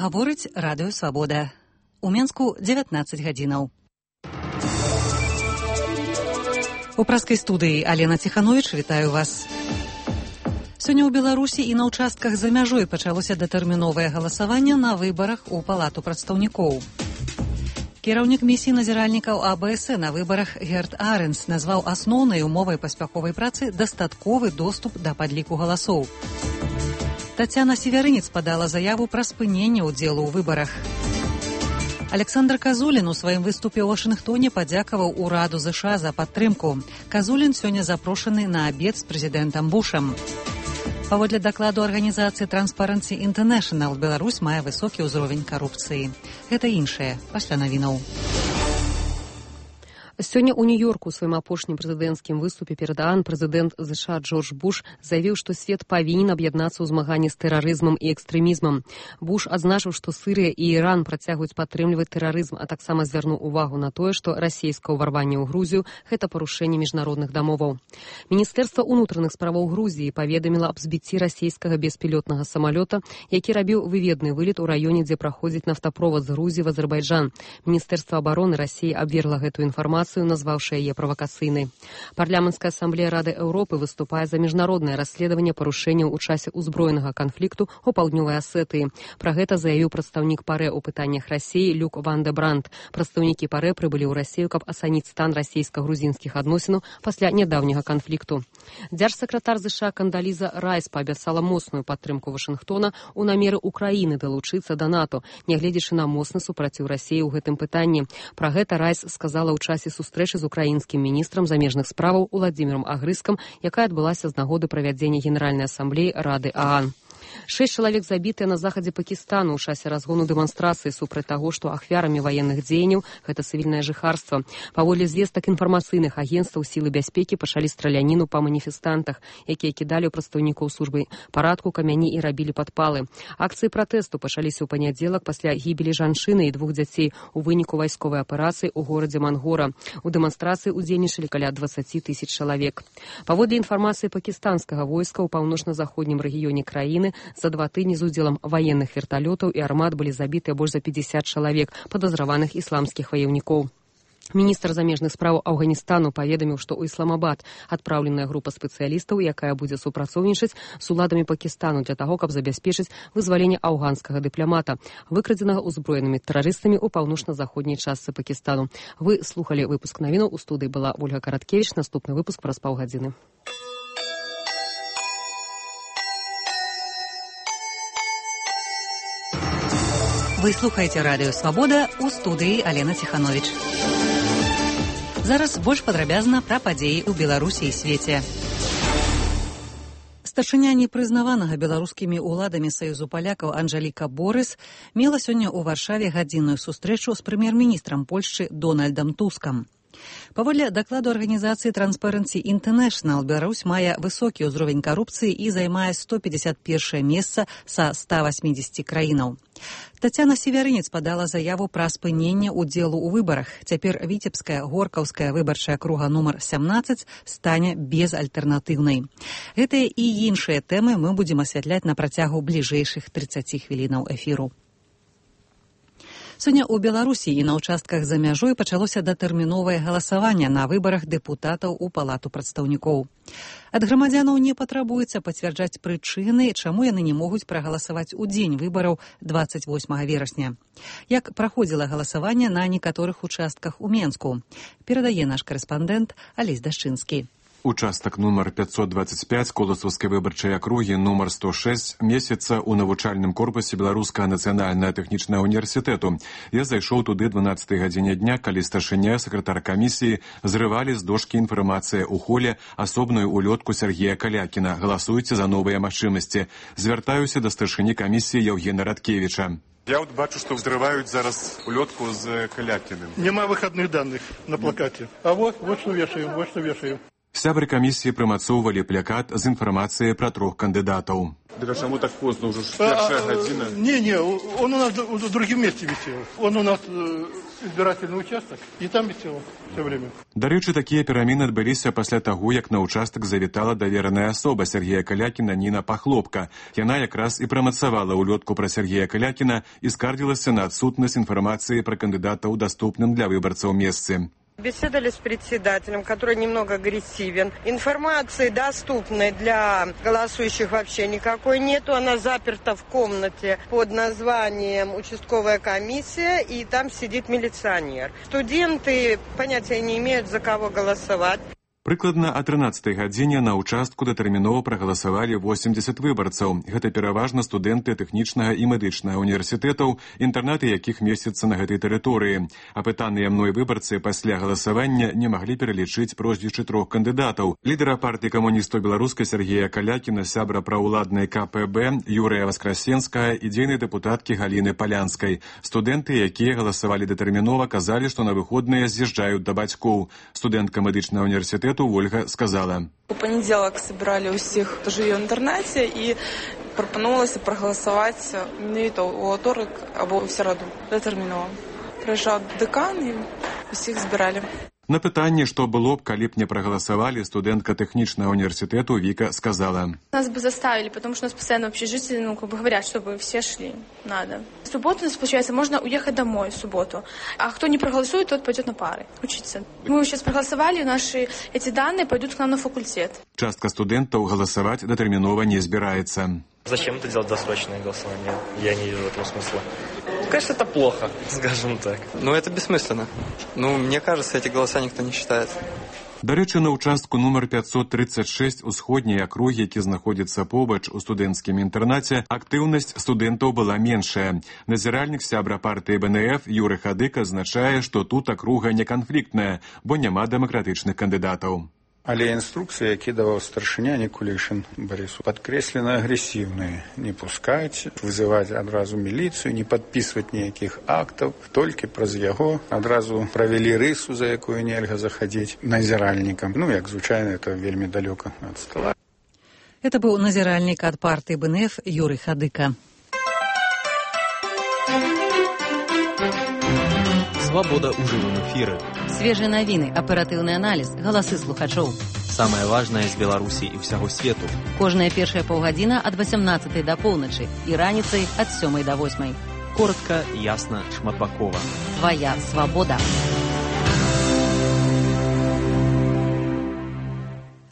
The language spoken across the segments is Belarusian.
Гаворыць радыё «Свабода». У Менску 19 гадзінаў. У праскай студыі Алена Ціхановіч, вітаю вас. Сёння ў Беларусі і на ўчастках за мяжой пачалося датэрміновае галасаванне на выбарах у Палату прадстаўнікоў. Кіраўнік місіі назіральнікаў АБС на выбарах Герт Аренс назваў асноўнай умовай паспяховай працы дастатковы доступ да падліку галасоў. Тацяна Севярынец падала заяву пра спыненне ўдзелу ў выбарах. Александр Казулін у сваім выступе ў Вашынгтоне падзякаваў ураду ЗША за падтрымку. Казулін сёння запрошаны на абед з прэзідэнтам Бушам. Паводле дакладу арганізацыі Transparency International, Беларусь мае высокі ўзровень карупцыі. Гэта іншае пасля навінаў. Сёння ў Нью-Йорку ў сваім апошнім прэзідэнцкім выступе перад ААН прэзідэнт ЗША Джордж Буш заявіў, што свет павінен аб'яднацца ў змаганні з тэрарызмам і экстрэмізмам. Буш адзначыў, што Сірыя і Іран працягваюць падтрымліваць тэрарызм, а таксама звярнуў увагу на тое, што расійскае ўварванне ў Грузію – гэта парушэнне міжнародных дамоваў. Міністэрства ўнутраных справаў Грузіі паведаміла аб збіцці расійскага беспілётнага самалёта, які рабіў выведны вылет у раёне, дзе праходзіць нафтаправод з Грузіі в Азербайджан. Міністэрства абароны Расіі абвергла гэтую інфармацыю, назваўшы яе правакацыйнай. Парламенцкая асамблея Рады Еўропы выступае за міжнароднае расследаванне парушэнняў у часе ўзброенага канфлікту ў паўднёвай Асетыі. Пра гэта заявіў прадстаўнік ПАРЭ ў пытаннях Расіі Люк ван де Бранд. Прадстаўнікі ПАРЭ прыбылі ў Расію, каб ацаніць стан расійска-грузінскіх адносінаў пасля нядаўняга канфлікту. Дзяржсакратар ЗША Кандаліза Райс паабяцала моцную падтрымку Вашынгтона ў намеры Украіны далучыцца да НАТО, нягледзячы на моцны супраціў Расіі ў гэтым пытанні. Пра гэта Райс сказала ў часе сустрэчы з украінскім міністрам замежных справаў Уладзімірам Агрыскам, якая адбылася з нагоды правядзення Генеральнай асамблеі Рады ААН. 6 чалавек забітыя на захадзе Пакістану ў часе разгону дэманстрацыі супраць таго, што ахвярамі ваенных дзеянняў гэта цывільнае жыхарства. Паводле звестак інфармацыйных агенцтваў сілы бяспекі пачалі страляніну па маніфестантах, якія кідалі ў прадстаўнікоў службы парадку камяні і рабілі падпалы. Акцыі пратэсту пачаліся ў панядзелак пасля гібелі жанчыны і 2 дзяцей у выніку вайсковай аперацыі ў горадзе Мангора. У дэманстрацыі ўдзельнічалі каля 20 000 чалавек. Паводле інфармацыі пакістанскага войска ў паўночна-заходнім рэгіёне краіны за 2 тыдні з удзелам ваенных верталётаў і армат былі забітыя больш за 50 чалавек падазраваных ісламскіх ваяўнікоў. Міністр замежных справаў Афганістану паведаміў, што ў Ісламабад адпраўленая група спецыялістаў, якая будзе супрацоўнічаць з уладамі Пакістану для таго, каб забяспечыць вызваленне афганскага дыпламата, выкрадзенага ўзброенымі тэрарыстамі ў паўночна-заходняй частцы Пакістану. Вы слухалі выпуск навінаў. У студыі была Ольга Караткевіч. Наступны выпуск праз паўгадзіны. Вы слухаеце радыё «Свабода», у студыі Алена Ціхановіч. Зараз больш падрабязна пра падзеі ў Беларусі і свеце. Старшыня непрызнаванага беларускімі ўладамі Саюзу палякаў Анжэліка Борыс мела сёння ў Варшаве гадзінную сустрэчу з прэм'ер-міністрам Польшчы Дональдам Тускам. Паводле дакладу арганізацыі Transparency International, Беларусь мае высокі ўзровень карупцыі і займае 151 месца са 180 краінаў. Тацяна Севярынец падала заяву пра спыненне ўдзелу ў выбарах. Цяпер віцебская горкаўская выбарчая акруга нумар 17 стане безальтэрнатыўнай. Гэтыя і іншыя тэмы мы будзем асвятляць на працягу бліжэйшых 30 хвілінаў эфіру. Сёння ў Беларусі і на ўчастках за мяжой пачалося датэрміновае галасаванне на выбарах дэпутатаў у Палату прадстаўнікоў. Ад грамадзянаў не патрабуецца пацвярджаць прычыны, чаму яны не могуць прагаласаваць у дзень выбараў 28 верасня. Як праходзіла галасаванне на некаторых участках у Менску, перадае наш карэспандэнт Алесь Дашчынскі. Участак нумар 525 Коласаўскай выбарчай акругі нумар 106 месяца ў навучальным корпусе Беларускага нацыянальнага тэхнічнага універсітэту. Я зайшоў туды 12 гадзіне дня, калі старшыня сакратар камісіі зрывалі з дошкі інфармацыі ў холе асобную улётку Сергея Калякіна. Галасуйце за новыя магчымасці. Звяртаюся да старшыні камісіі Яўгена Радкевіча. Я бачу, что взрывают зараз улетку с Калякиным. Нема выходных данных на плакате. А вот что вешаем, Сябры камісіі прымацоўвалі плакат з інфармацыяй пра 3 кандыдатаў. Так а чему так поздно? Уже 1:00 година. Не, он у нас в другом месте висел. Он у нас избирательный участок, и там висел все время. Дарэчы, такія перамены адбыліся пасля таго, як на ўчастак завітала давераная асоба Сергея Калякіна Ніна Пахлопка. Яна якраз і прамацавала улётку пра Сергея Калякіна і скардзілася на адсутнасць інфармацыі пра кандыдата ў даступным для выбарцаў месцы. Беседовали с председателем, который немного агрессивен. Информации доступной для голосующих вообще никакой нету. Она заперта в комнате под названием «Участковая комиссия», и там сидит милиционер. Студенты понятия не имеют, за кого голосовать. Прыкладна о 13-й гадзіне на ўчастку датэрмінова прагаласавалі 80 выбарцаў. Гэта пераважна студэнты тэхнічнага і медычнага універсітэтаў, інтэрнаты якіх месяцца на гэтай тэрыторыі. Апытаныя мной выбарцы пасля галасавання не маглі пералічыць прозвішчы 3 кандыдатаў. Лідара партыі камуністаў беларускай Сергея Калякіна, сябра праўладнай КПБ Юрыя Васкрасенская і дзейнай дэпутаткі Галіны Палянскай. Студэнты, якія галасавалі датэрмінова, казалі, што на выходныя з'язджаюць да бацькоў. Студэнтка медычнага універсітэту Ольга сказала. У понеділок собирали усіх, хто живе в інтернеті, і пропонувалося проголосувати не то у вівторок або в середу детерміново. Приїжджав декан і усіх збирали. На пытанне, што было б, калі б не прагаласавалі, студэнтка тэхнічнага універсітэту Віка сказала. Нас бы заставили, потому что у нас постоянно в общежитии, говорят, чтобы все шли. Надо. В субботу у нас, получается, можно уехать домой в субботу. А кто не проголосует, тот пойдет на пары учиться. Мы сейчас проголосовали, наши эти данные пойдут к нам на факультет. Частка студэнтаў галасаваць датэрмінова не збіраецца. Зачем это делать досрочное голосование? Я не вижу этого смысла. Конечно, это плохо, скажем так. Но это бессмысленно. Мне кажется, эти голоса никто не считает. Дарэчы, на ўчастку нумар 536 усходняй акругі, які знаходзіцца побач у студэнцкім інтэрнаце, актыўнасць студэнтаў была меншая. Назіральнік сябра партыі БНФ Юры Хадык азначае, што тут акруга не канфліктная, бо няма дэмакратычных кандыдатаў. Але інструкцыі, які даваў старшыня Никулишин Борису, падкрэслена агрэсіўныя. Не пускаць, вызываць адразу міліцыю, не падпісваць ніякіх актаў. Толькі праз яго адразу правялі рысу, за якую нельга захадзіць назіральнікам. Як звычайна, это вельмі далёка ад стола. Это быў назіральнік ад партыі БНФ Юры Хадыка. Свобода ў жывым эфіры. Свежыя навіны, аператыўны аналіз, галасы слухачоў. Самае важнае з Беларусі і ўсяго свету. Кожная першая паўгадзіна ад 18 да поўначы і раніцай ад 7 да 8. Коротка, ясна, шматбакова. Твая свабода.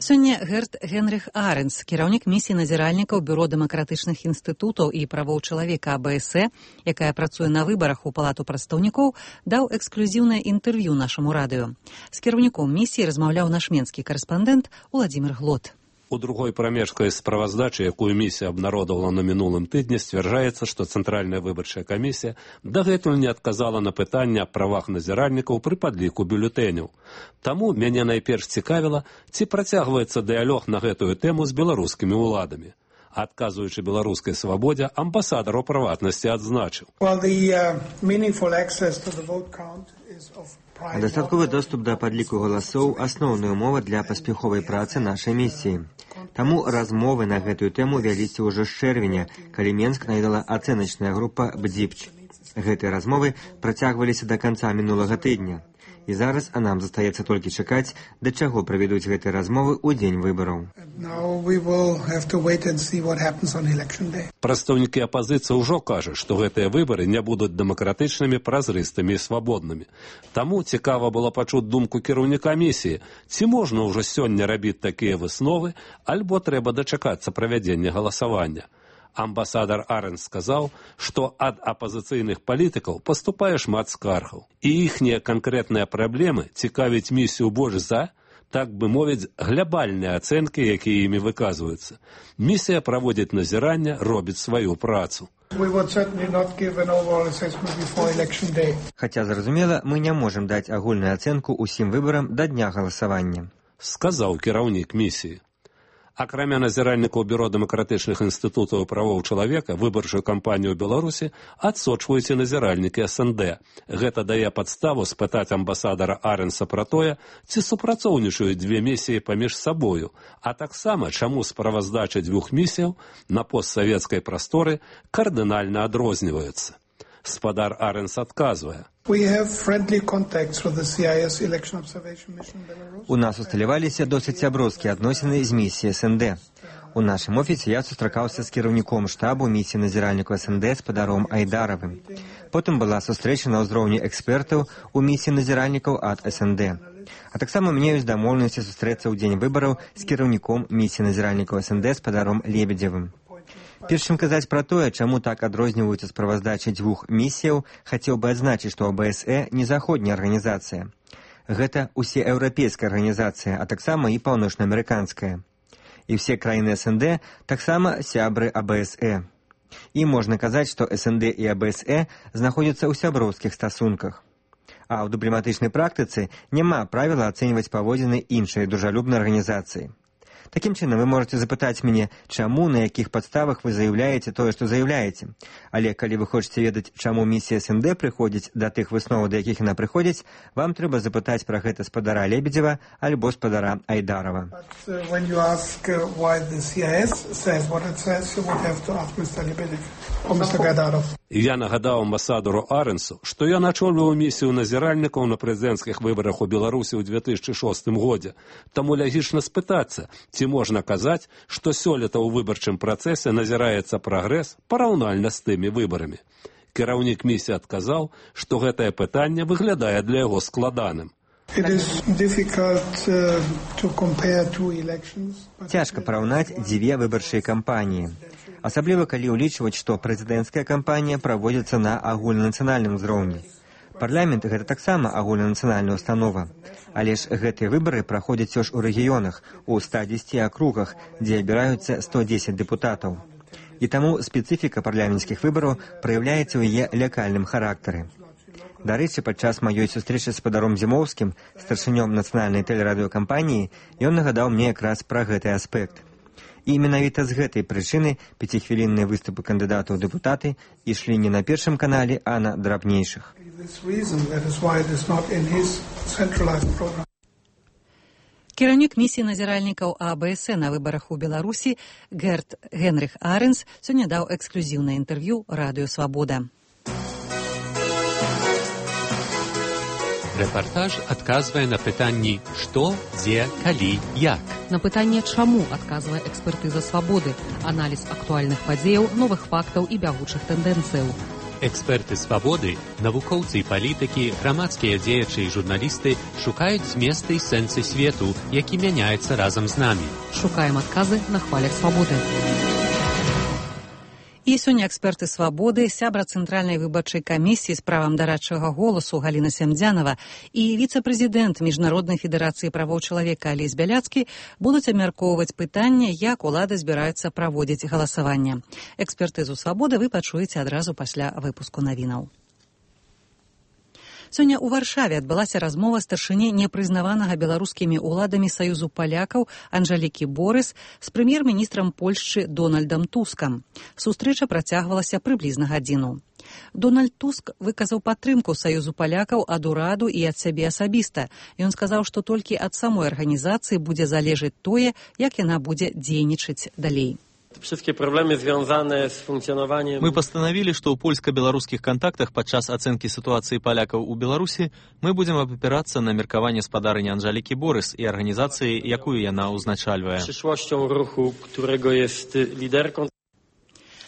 Сёння Герт Генріх Аренс, кіраўнік місіі назіральнікаў Бюро дэмакратычных інстытутаў і правоў чалавека АБС, якая працуе на выбарах у Палату прадстаўнікоў, даў эксклюзіўнае інтэрв'ю нашаму радыё. З кіраўніком місіі размаўляў наш менскі карэспандэнт Уладзімір Глот. У другой прамежкай справаздачы, якую місія абнародавала на мінулым тыдні, сцвярджаецца, што Цэнтральная выбарчая камісія дагэтуль не адказала на пытанне аб правах назіральнікаў пры падліку бюлетэняў. Таму мяне найперш цікавіла, ці працягваецца дыялог на гэтую тэму з беларускімі ўладамі. Адказуючы беларускай свабодзе, амбасадар у прыватнасці адзначыў. Дастатковы доступ да падліку галасоў – асноўная умова для паспяховай працы нашай місіі. Таму размовы на гэтую тэму вяліся ўжо з чэрвеня, калі Менск наведала ацэначная група «Бдзіпч». Гэтыя размовы працягваліся да канца мінулага тыдня. І зараз нам застаецца толькі чакаць, да чаго правядуць гэтыя размовы ў дзень выбараў. Прадстаўнікі апазіцыі ўжо кажуць, што гэтыя выбары не будуць дэмакратычнымі, празрыстымі і свабоднымі. Таму цікава было пачуць думку кіраўніка місіі, ці можна ўжо сёння рабіць такія высновы, альбо трэба дачакацца правядзення галасавання. Амбасадар Аренс сказаў, што ад апазіцыйных палітыкаў паступае шмат скаргаў. І іхнія канкрэтныя праблемы цікавіць місію больш за, так бы мовіць, глябальныя ацэнкі, якія імі выказваюцца. Місія праводзіць назіранне, робіць сваю працу. Хаця, зразумела, мы не можам даць агульную ацэнку ўсім выбарам да дня галасавання, сказаў кіраўнік місіі. Акрамя назіральнікаў бюро дэмакратычных інстытутаў правоў чалавека, выбарчую кампанію ў Беларусі адсочваюць і назіральнікі СНД. Гэта дае падставу спытаць амбасадара Аренса пра тое, ці супрацоўнічаюць дзве місіі паміж сабою, а таксама чаму справаздачы дзвюх місіяў на постсавецкай прасторы кардынальна адрозніваюцца. Спадар Аренс адказвае. У нас усталяваліся досыць сяброўскія адносіны з місіяй СНД. У нашым офісе я сустракаўся з кіраўніком штабу місіі назіральніку СНД спадаром Айдаравым. Потым была сустрэча на ўзроўні экспертаў у місіі назіральнікаў ад СНД. А таксама мне ёсць дамоўленасці сустрэцца ў дзень выбараў з кіраўніком місіі назіральнікаў СНД спадаром Лебедзевым. Перш чым казаць пра тое, чаму так адрозніваюцца справаздачы дзвюх місіяў, хацеў бы адзначыць, што АБСЭ не заходняя арганізацыя. Гэта усееўрапейская арганізацыя, а таксама і паўночнаамерыканская. І ўсе краіны СНД таксама сябры АБСЭ. І можна казаць, што СНД і АБСЭ знаходзяцца ў сяброўскіх стасунках. А ў дыпламатычнай практыцы няма правіла ацэньваць паводзіны іншай дружалюбнай арганізацыі. Такім чынам, вы можете запытаць мяне, чаму, на якіх падставах вы заяўляеце тое, што заяўляеце. Але калі вы хочаце ведаць, чаму місія СНД прыходзіць да тых высноваў, да якіх яна прыходзіць, вам трэба запытаць пра гэта спадара Лебедзева альбо спадара Айдарова. Я нагадаў амбасадару Аренсу, што я начольваў місію назіральнікаў на прэзідэнцкіх выбарах у Беларусі ў 2006 годзе. Таму лагічна спытацца, ці можна казаць, што сёлета ў выбарчым працэсе назіраецца прагрэс параўнальна з тымі выбарамі. Кіраўнік місіі адказаў, што гэтае пытанне выглядае для яго складаным. Цяжка параўнаць дзве выбарчыя кампаніі. Асабліва, калі ўлічваць, што прэзідэнцкая кампанія праводзіцца на агульнанацыянальным узроўні. Парламент – гэта таксама агульнанацыянальная установа. Але ж гэтыя выбары праходзяць ўсё ж у рэгіёнах, у 110 акругах, дзе абіраюцца 110 дэпутатаў. І таму спецыфіка парламенцкіх выбараў праяўляецца ў яе лакальным характары. Дарэчы, падчас маёй сустрэчы з спадаром Зімоўскім, старшынём нацыянальнай тэлерадыёкампаніі, ён нагадаў мне якраз пра гэты аспект. І менавіта з гэтай прычыны 5-хвілінныя выступы кандыдатаў ў дэпутаты ішлі не на першым канале, а на драбнейшых. Кіраўнік місіі назіральнікаў АБСЭ на выбарах у Беларусі Герт Генрих Аренс сёння даў эксклюзіўнае інтэрв'ю радыё «Свабода». Рэпартаж адказвае на пытанні «Што?», «Дзе?», «Калі?», «Як?». На пытанне «Чаму?», адказвае экспертыза «Свабоды», аналіз актуальных падзеяў, новых фактаў і бягучых тэндэнцыяў. Эксперты «Свабоды», навукоўцы і палітыкі, грамадскія дзеячы і журналісты шукаюць зместы і сэнсы свету, які мяняецца разам з намі. Шукаем адказы на хвалях «Свабоды». І сёння эксперты «Свабоды», сябра Цэнтральнай выбарчай камісіі з правам дарадчага голасу Галіна Сямдзянава і віцэ-прэзідэнт Міжнароднай федэрацыі правоў чалавека Алесь Бяляцкі будуць абмяркоўваць пытанне, як улады збіраюцца праводзіць галасаванне. Экспертызу «Свабоды» вы пачуеце адразу пасля выпуску навінаў. Сёння ў Варшаве адбылася размова старшыні непрызнаванага беларускімі ўладамі Саюзу палякаў Анжалікі Борыс з прэм'ер-міністрам Польшчы Дональдам Тускам. Сустрэча працягвалася прыблізна гадзіну. Дональд Туск выказаў падтрымку Саюзу палякаў ад ураду і ад сябе асабіста. Ён сказаў, што толькі ад самой арганізацыі будзе залежыць тое, як яна будзе дзейнічаць далей. Мы постановили, что у польско-белорусских контактах подчас оценки ситуации поляков у Беларуси мы будем опираться на меркование спадарыни Анжалікі Борыс и организации, якую яна узначальвае.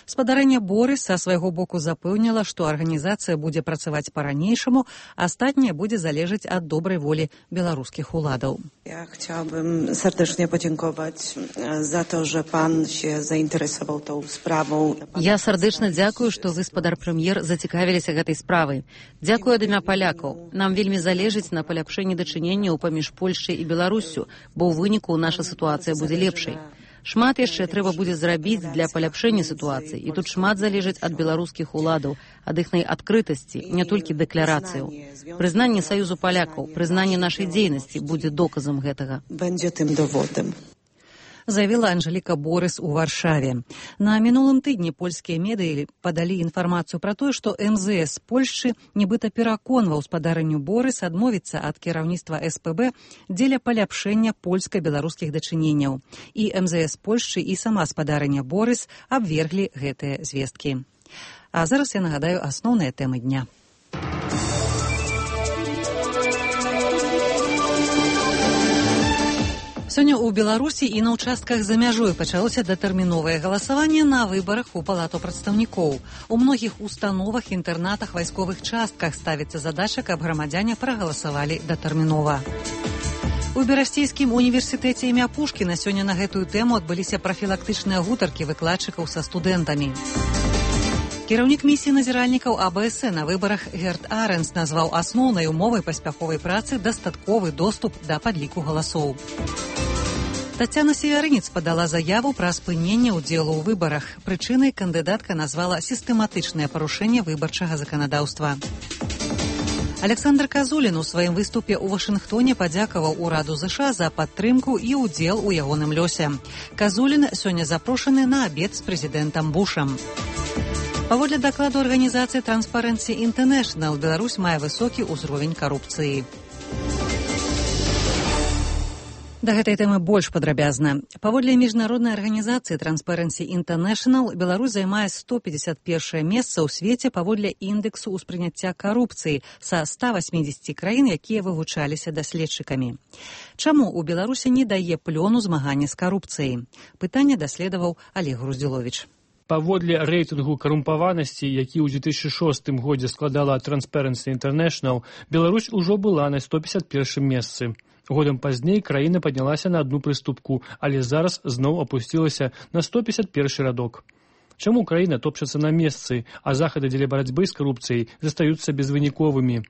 Спадарыня Борыс са свайго боку запэўніла, што арганізацыя будзе працаваць па-ранейшаму, а астатняе будзе залежаць ад добрай волі беларускіх уладаў. Ja chciałabym serdecznie podziękować za to, że pan się zainteresował tą sprawą. Я сардэчна дзякую, што вы, спадар прэм'ер, зацікавіліся гэтай справай. Дзякую ад імя палякаў. Нам вельмі залежыць на паляпшэнні дачыненняў паміж Польшчай і Беларуссю, бо ў выніку наша сітуацыя будзе лепшай. Шмат яшчэ трэба будзе зрабіць для паляпшэння сітуацыі, і тут шмат залежыць ад беларускіх уладаў, ад іхнай адкрытасці, не толькі дэкларацыяў. Прызнанне Саюзу палякаў, прызнанне нашай дзейнасці будзе доказам гэтага. Będzie tym dowodem. заявила Анжеліка Борыс у Варшаве. На мінулым тыдні польскія медыі падалі інфармацыю пра тое, што МЗС Польшчы нібыта пераконваў спадарыню Борыс адмовіцца ад кіраўніцтва СПБ дзеля паляпшэння польска-беларускіх дачыненняў. І МЗС Польшчы і сама спадарыня Борыс абверглі гэтыя звесткі. А зараз я нагадаю асноўныя тэмы дня. Сёння ў Беларусі і на ўчастках за мяжой пачалося датэрміновае галасаванне на выбарах у Палату прадстаўнікоў. У многіх установах, інтэрнатах, вайсковых частках ставіцца задача, каб грамадзяне прагаласавалі датэрмінова. У Берасцейскім універсітэце імя Пушкіна сёння на гэтую тэму адбыліся прафілактычныя гутаркі выкладчыкаў са студэнтамі. Кіраўнік місіі назіральнікаў АБС на выбарах Герт Аренс назваў асноўнай умовай паспяховай працы дастатковы доступ да падліку галасоў. Тацяна Северынец падала заяву пра спыненне ўдзелу ў выбарах. Прычынай кандыдатка назвала сістэматычнае парушэнне выбарчага заканадаўства. Александр Казулін у сваім выступе ў Вашынгтоне падзякаваў ураду ЗША за падтрымку і ўдзел у ягоным лёсе. Казулін сёння запрошаны на абед з прэзідэнтам Бушам. Паводле дакладу арганізацыі Transparency International, Беларусь мае высокі ўзровень карупцыі. Да гэтай тэмы больш падрабязна. Паводле міжнароднай арганізацыі Transparency International, Беларусь займае 151 месца ў свеце паводле індэксу ўспрыняцця карупцыі са 180 краін, якія вывучаліся даследчыкамі. Чаму ў Беларусі не дае плёну змагання з карупцыяй? Пытанне даследаваў Олег Груздзіловіч. Паводле рэйтынгу карумпаванасці, які ў 2006 годзе складала Transparency International, Беларусь ужо была на 151 месцы. Годам пазней краіна паднялася на одну прыступку, але зараз зноў апусцілася на 151 радок. Чаму краіна топчацца на месцы, а захады дзеля барацьбы з карупцыяй застаюцца безвыніковымі?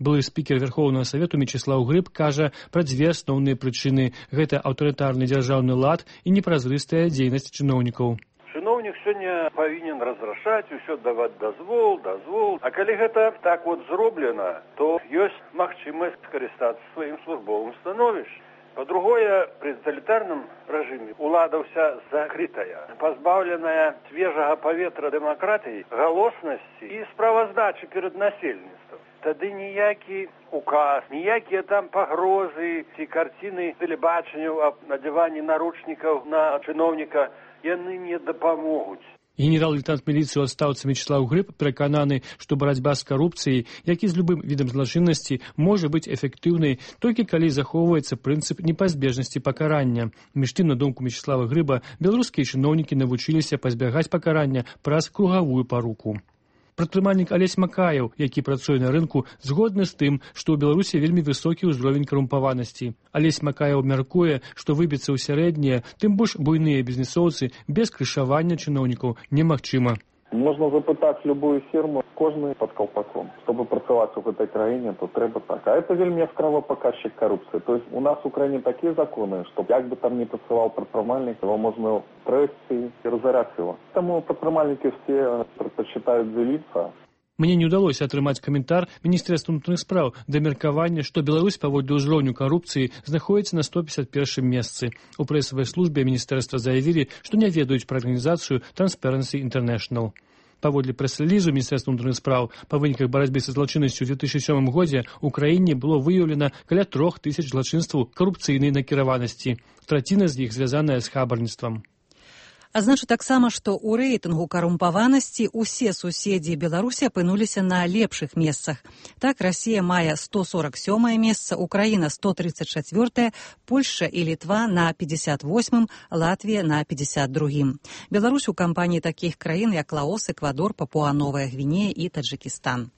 Былы спікер Верховнага Савету Мечыслаў Грыб кажа пра дзве асноўныя прычыны. Гэта аўтарытарны дзяржаўны лад і непразрыстая дзейнасць чыноўнікаў. Чыноўнік сёння павінен разрашаць, усё даваць дазвол. А калі гэта так зроблена, то ёсць магчымасць скарыстацца сваім службовым становішчам. Па-другое, пры таталітарным рэжыме ўлада ўся закрытая, пазбаўленая свежага паветра дэмакратыі, галоснасці і справаздачы перад насельніцтвам. Тады ніякі указ, ніякія там пагрозы ці карціны тэлебачання аб надзяванні наручнікаў на чыноўніка яны не дапамогуць. Генерал-лейтенант міліцыі ў адстаўцы Мечыслаў Грыб перакананы, што барацьба з карупцыяй, як і з любым відам злачыннасці, можа быць эфектыўнай толькі калі захоўваецца прынцып непазбежнасці пакарання. Між тым, на думку Мечыслава Грыба, беларускія чыноўнікі навучыліся пазбягаць пакарання праз кругавую паруку. Прадпрымальнік Алесь Макаеў, які працуе на рынку, згодны з тым, што ў Беларусі вельмі высокі ўзровень карумпаванасці. Алесь Макаеў мяркуе, што выбіцца ў сярэднія, тым больш буйныя бізнесоўцы без крышавання чыноўнікаў немагчыма. Можна запытаць любую фірму, кожны пад калпаком. Чтобы працаваць у гэтай краіне, то трэба так. А это вельмі яскравы паказчык карупцыі. То есть у нас у краіне такія законы, што як бы там не працаваў прадпрымальнік, его можна трэсці і разараць его. Таму прадпрымальнікі все прадпачытаюць дзеліцца. Мне не ўдалося атрымаць каментар Міністэрства ўнутраных спраў да меркавання, што Беларусь паводле ўзроўню карупцыі знаходзіцца на 151 месцы. У прэсавай службе міністэрства заявілі, што не ведаюць пра арганізацыю Transparency International. Паводле прэс-рэлізу Міністэрства ўнутраных спраў па выніках барацьбы са злачыннасцю ў 2007 годзе ў краіне было выяўлена каля 3000 злачынстваў карупцыйнай накіраванасці. Траціна з іх звязаная з хабарніцтвам. Адзначу таксама, што ў рэйтынгу карумпаванасці ўсе суседзі Беларусі апынуліся на лепшых месцах. Так, Расія мае 147 месца, Украіна 134, Польшча і Літва на 58, Латвія на 52. Беларусь у кампаніі такіх краін, як Лаос, Эквадор, Папуа-Новая Гвінея і Таджыкістан.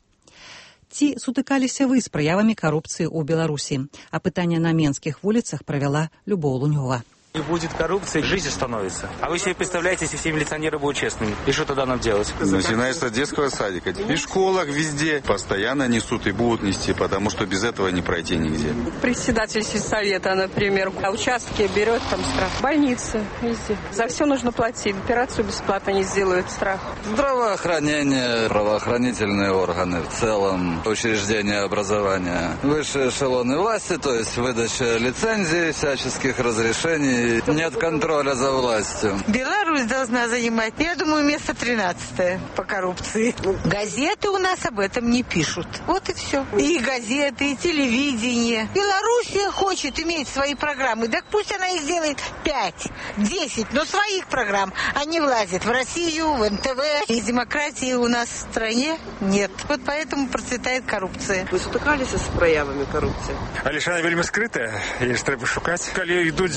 Ці сутыкаліся вы з праявамі карупцыі ў Беларусі? Апытанне на менскіх вуліцах правяла Любоў Лунёва. Не будет коррупции, жизнь остановится. А вы себе представляете, если все милиционеры будут честными? И что тогда нам делать? Начиная с детского садика. И в школах везде постоянно несут и будут нести, потому что без этого не пройти нигде. Председатель сельсовета, например, участки берет там штраф. Больницы везде. За все нужно платить. Операцию бесплатно не сделают, страх. Здравоохранение, правоохранительные органы в целом, учреждения образования, высшие эшелоны власти, то есть выдача лицензий, всяческих разрешений стране нет контроля за властью. Беларусь должна занимать, я думаю, место 13 по коррупции. Газеты у нас об этом не пишут. Вот и все. И газеты, и телевидение. Белоруссия хочет иметь свои программы. Так пусть она их делает 5, 10, но своих программ. Они влазят в Россию, в НТВ. И демократии у нас в стране нет. Вот поэтому процветает коррупция. Вы сутыкалися з проявами коррупции? Але ж вона вельми скрита, її ж треба шукати. Коли йдуть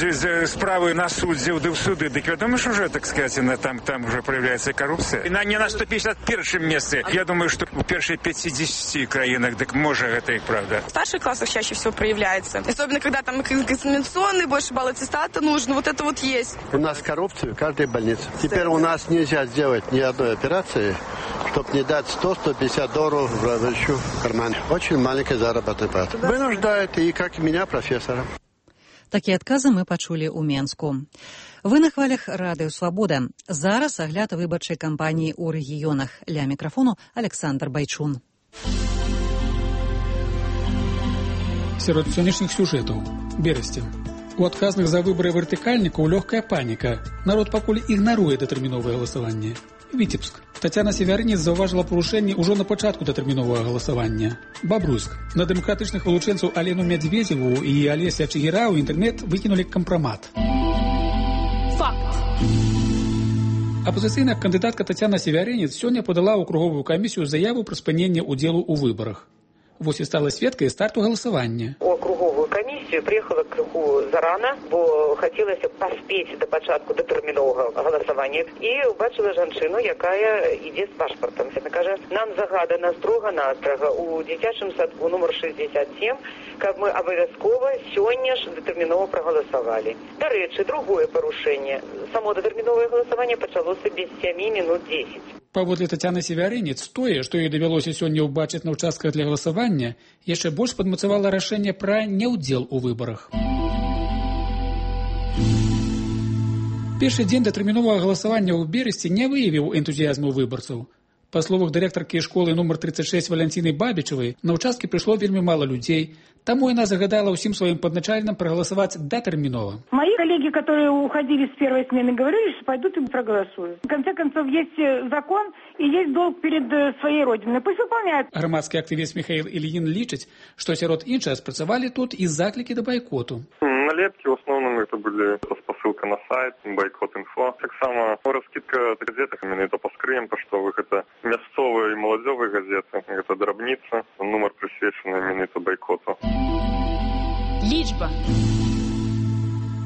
справи на суддів, в суди, так відомо, що вже, так сказати, там вже проявляється корупція. І не на 151 місці. Я думаю, що в перших 50 країнах, так може, це і правда. В старших классах чаще всего проявляется. Особенно, когда там экзаменационный, больше балл аттестата нужно. Вот это вот есть. У нас коррупция в каждой больнице. Теперь у нас нельзя сделать ни одной операции, чтобы не дать $100-150 врачу в карман. Очень маленький заработный плата. Вынуждают, и как и меня, профессора. Такія адказы мы пачулі ў Менску. Вы на хвалях радыё «Свабода». Зараз агляд выбарчай кампаніі ў рэгіёнах. Ля мікрафону Александр Байчун. Сярод сённяшніх сюжэтаў. Берасцень. У адказных за выбары вертыкальнікаў лёгкая паніка. Народ пакуль ігнаруе датэрміновае галасаванне. Віцебск. Тацяна Севярынец заўважыла парушэнні ўжо на пачатку датэрміновага галасавання. Бабруйск. На дэмакратычных вылучэнцаў Алену Мядзведзеву і Алеся Чигіра ў інтэрнэт выкінулі кампрамат. Факт. Апозіцыйная кандыдатка Тацяна Севярынец сёння падала ў круговую камісію заяву пра спыненне ўдзелу ў выбарах. Вось і стала сведкай старту галасавання. У круговую камісію приехала крыху зарана, бо хацелася паспець да пачатку датэрміновага галасавання. І убачыла жанчыну, якая ідзе з пашпартам. Яна кажа, нам загадана строга-настрага у дзіцячым садку нумар 67, каб мы абавязкова сёння ж датэрмінова прагаласавалі. Дарэчы, другое парушэнне. Само датэрміновае галасаванне пачалося без 7 минут 10. Паводле Тацяны Севярынец, тое, што ёй давялося сёння ўбачыць на ўчастках для галасавання, яшчэ больш падмацавала рашэнне пра неўдзел у выбарах. Першы дзень датэрміновага галасавання ў Берасці не выявіў энтузіязму выбарцаў. Па словах дырэктаркі школы нумар 36 Валянціны Бабічавай, на ўчасткі прыйшло вельмі мала людзей, таму яна загадала ўсім сваім падначальным прагаласаваць датэрмінова. Мои коллеги, которые уходили с первой смены, говорили, что пойдут и проголосуют. В конце концов, есть закон и есть долг перед своей родиной. Пусть выполняют. Грамадскі актывіст Михаил Ильин лічыць, што сярод іншага спрацавалі тут і заклікі да байкоту. Налепки в основном это были посылка на сайт, бойкот.инфо. Так само раскидка газет, именно это по скрыям поштовых, это мясцовые и молодёвые газеты, это дробница, номер присвеченный именно это бойкоту. Лічба.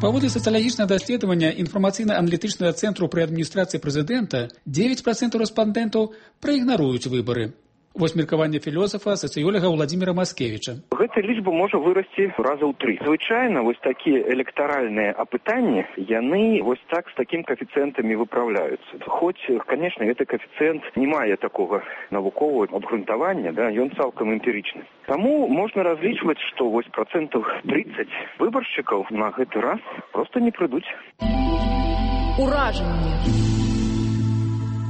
Паводле сацыялагічнага даследавання інфармацыйна-аналітычнага цэнтру пры адміністрацыі прэзідэнта 9% рэспандэнтаў праігнаруюць выбары. Вось меркаванне філосафа, сацыёлага Владзіміра Маскевіча. Гэта лічба можа вырасці раза ў 3. Звычайна вось такія электаральныя апытанні, яны вось так з такім каэфіцыентамі выпраўляюцца. Хоць, конечно, гэты каэфіцыент не мае такога навуковага абгрунтавання, да, ён цалкам эмпірычны. Таму можна разлічваць, што вось 30% выбаршчыкаў на гэты раз проста не прыйдуць. Уражанне.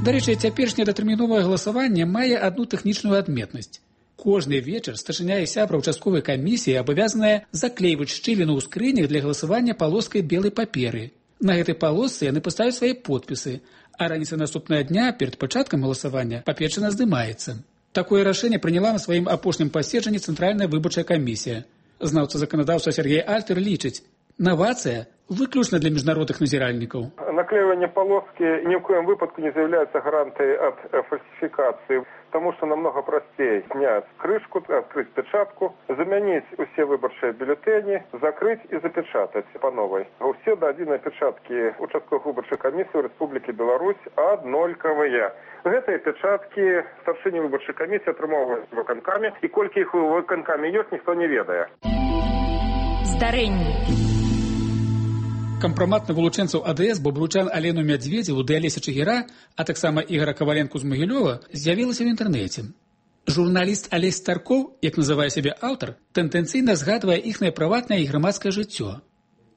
Дарэчы, цяперашняе датэрміновае галасаванне мае адну тэхнічную адметнасць. Кожны вечар старшыня і сябра ўчастковай камісіі абавязаныя заклейваць шчыліну ў скрынях для галасавання палоскай белай паперы. На гэтай палосцы яны паставяць свае подпісы, а раніцай наступнага дня перад пачаткам галасавання папечына здымаецца. Такое рашэнне прыняла на сваім апошнім паседжанні Цэнтральная выбарчая камісія. Знаўца заканадаўства Сергей Альтер лічыць, новация выключно для международных назиральников. Наклеивание полоски ни в коем выпадку не является гарантией от фальсификации, потому что намного простее снять крышку, открыть печатку, заменить все выборчие бюллетени, закрыть и запечатать по новой. Все до единой печатки участковых выборчих комиссий в Республике Беларусь одноликовые. Гэтай печатки старшыні выборчай комиссии атрымоўваюць выканкамі, і колькі іх выканкамі ёсць, ніхто не ведае. Здарэнне. Кампрамат на вылучэнцаў АДС бабруйчан Алену Мядзведзеву ды Алеся Чигіра, а таксама Ігора Каваленку з Магілёва, з'явілася ў інтэрнэце. Журналіст Алесь Старкоў, як называе сябе аўтар, тэндэнцыйна згадвае іхнае прыватнае і грамадскае жыццё.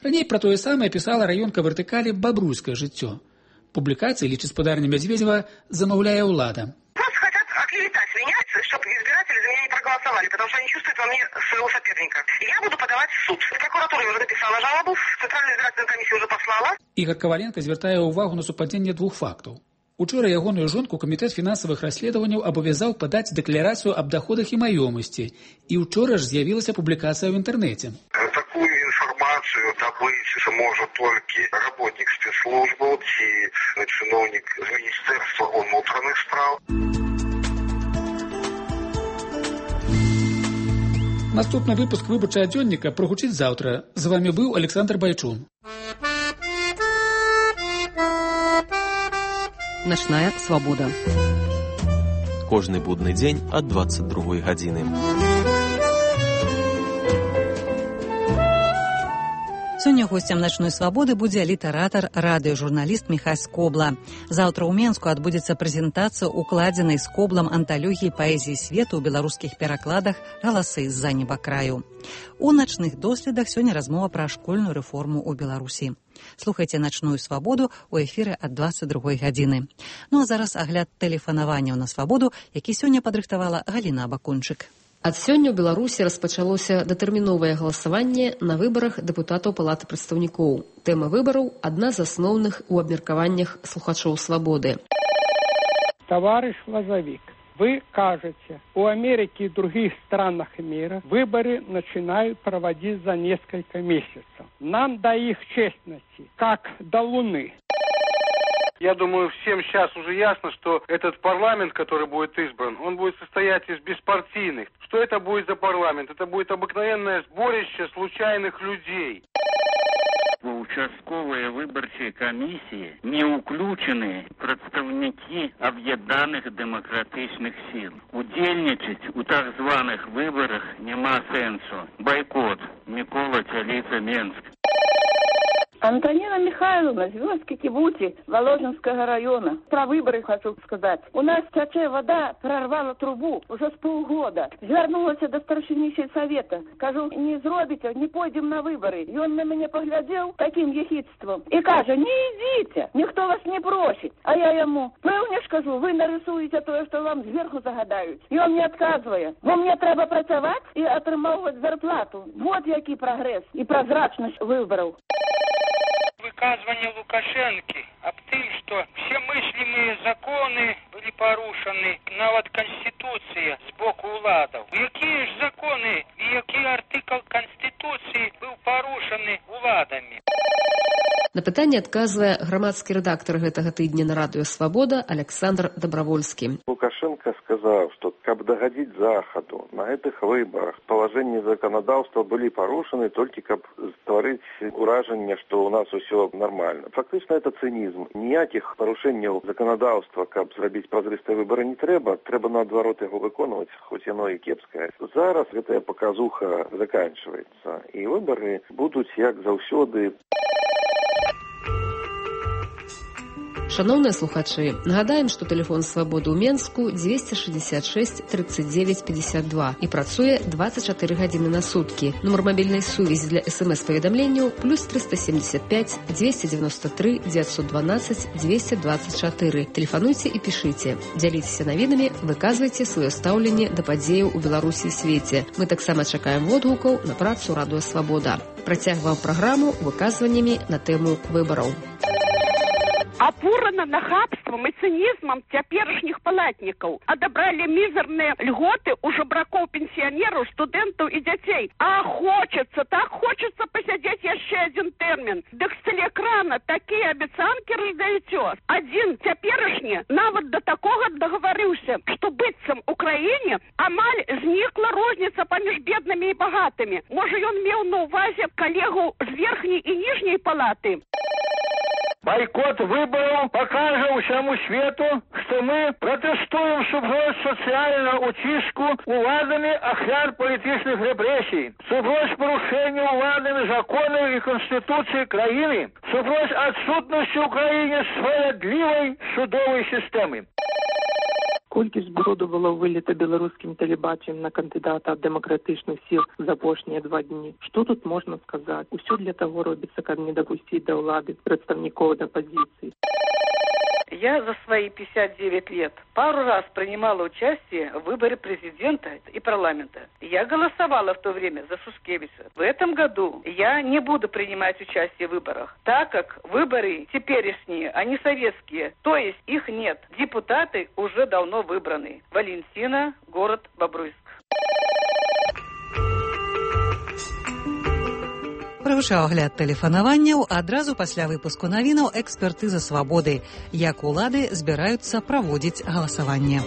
Раней пра тое самае пісала раёнка вертыкалі «Бабруйскае жыццё». Публікацыі, лічыць спадарня Мядзведзева, замаўляе ўлада. Просто хотят оклеветать меня, чтобы избиратели за меня не проголосовали, потому что они чувствуют во мне мне своего соперника. Я буду подавать в суд. В прокуратуре уже написала жалобу, в Центральную избирательную комиссию уже послала. Ігор Коваленко звяртае ўвагу на супадзенне двух фактаў. Учора ягоную жонку камітэт фінансавых расследаванняў абавязаў падаць дэкларацыю аб доходах і маёмасці. І учора ж з'явілася публікацыя ў інтэрнэце. Такую информацию добыть сможет только работник спецслужбы и чиновник Министерства внутренних справ. Наступны выпуск выбарчага дзённіка прагучыць заўтра. З вами быў Александр Байчун. Начная свобода. Кожны будны дзень ад 22 гадзіны. Сёння госцем начной свабоды будзе літаратар, радыёжурналіст Міхась Скобла. Заўтра ў Менску адбудзецца прэзентацыя укладзенай Скоблам анталогіі паэзіі свету ў беларускіх перакладах «Галасы з-за небакраю». У начных доследах сёння размова пра школьную рэформу ў Беларусі. Слухайце начную свабоду ў эфіры ад 22 гадзіны. Ну а зараз агляд тэлефанаванняў на свабоду, які сёння падрыхтавала Галіна Абакунчык. Ад сёння ў Беларусі распачалося датэрміновае галасаванне на выбарах дэпутатаў Палаты прадстаўнікоў. Тэма выбараў – адна з асноўных у абмеркаваннях слухачоў свабоды. Товарищ Лозовик, вы кажете, у Америки и других странах мира выборы начинают проводить за несколько месяцев. Нам до их честности, как до Луны. Я думаю, всем сейчас уже ясно, что этот парламент, который будет избран, он будет состоять из беспартийных. Что это будет за парламент? Это будет обыкновенное сборище случайных людей. У участковые выборчие комиссии не уключены представники объединенных демократичных сил. Удельничать у так званых выборах нема сенсу. Бойкот. Микола Чалица, Менск. Антонина Михайловна, Звездки Кибути, Воложенского района. Про выборы хочу сказать. У нас тече вода, прорвала трубу уже с полгода. Звернулась до старшини сельсовета. Кажу, не зробите, не пойдем на выборы. И он на меня поглядел таким ехидством. И каже, не идите, никто вас не просит. А я ему, певне ж кажу, вы нарисуете то, что вам сверху загадают. И он мне отказывает. Бо мне треба працевать и отримувати зарплату. Вот який прогресс и прозрачность выборов. Выказывание Лукашенко об том, что все мыслимые законы были порушены, нават Конституция с боку уладов. Какие же законы и какой артикул Конституции был порушены уладами? На пытанне адказвае грамадскі рэдактар гэтага тыдня на радыё «Свабода» Александр Добровольскі. Лукашенко сказал, что как догодить Заходу на этих выборах положения законодательства были порушены только как створить уражение, что у нас все нормально. Фактично это цинизм. Ніяких порушень законодательства, как зробить прозрыстые выборы не треба. Треба наоборот его выконывать, хоть оно и кепское. Зараз эта показуха заканчивается. И выборы будут як заўсёды. Шановныя слухачы, нагадаем, што тэлефон свабоды ў Менску 266 39 52 і працуе 24 гадзіны на суткі. Нумар мабільнай сувязі для СМС-паведамленняў плюс 375 293 912 224. Тэлефануйце і пішыце. Дзяліцеся навінамі, выказвайце сваё стаўленне да падзеяў у Беларусі і свеце. Мы таксама чакаем водгукаў на працу радыё «Свабода». Працягваем праграму выказваннямі на тэму выбараў. Опурано нахабством и цинизмом теперешних палатников. Отобрали мизерные льготы у жебраков, пенсионеров, студентов и детей. А хочется, так хочется посидеть еще один термин. Да с телеэкрана такие обещанки раздаете. Один теперешний навод до такого договорился, что быццам Украине амаль зникла розница поміж бедными и богатыми. Может, он имел на увазе коллегу с верхней и нижней палаты? Бойкот выборов покажет всему свету, что мы протестуем супротив социального утиску уладами ахляр политических репрессий, супротив порушения уладами законов и конституции краины, супротив отсутности в Украине справедливой судовой системы. Колькість броду було виліто білоруським телебаченням на кандидата від демократичних сил за останні 2 дні. Що тут можна сказати? Усе для того робиться, як не допустити до влади представників опозиції. Я за свои 59 лет пару раз принимала участие в выборе президента и парламента. Я голосовала в то время за Шушкевича. В этом году я не буду принимать участие в выборах, так как выборы теперешние, они советские, то есть их нет. Депутаты уже давно выбраны. Валентина, город Бобруйск. Прагучаў агляд тэлефанаванняў, адразу пасля выпуску навінаў экспертыза свабоды. Як улады збіраюцца праводзіць галасаванне.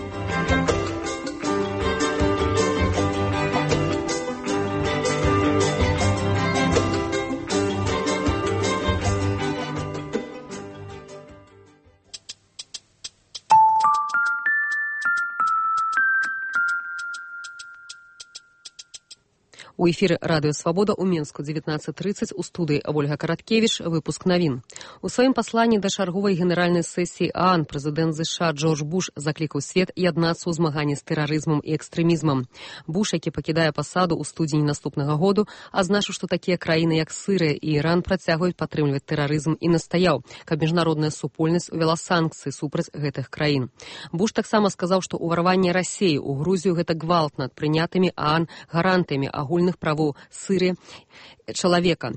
У эфіры радыё «Свабода» у Менску 19:30 у студыі Ольга Караткевіч, выпуск навін. У сваім пасланні да чарговай генеральнай сесіі ААН прэзідэнт ЗША Джордж Буш заклікаў свет яднацца ў змаганні з тэрарызмам і экстрэмізмам. Буш, які пакідае пасаду ў студзені наступнага году, азначыў, што такія краіны, як Сырыя і Іран, працягваюць падтрымліваць тэрарызм і настаяў, каб міжнародная супольнасць увяла санкцыі супраць гэтых краін. Буш таксама сказаў, што ўварванне Расіі ў Грузію гэта гвалт над прынятымі ААН гарантыямі агульных правоў Сырыі чалавека.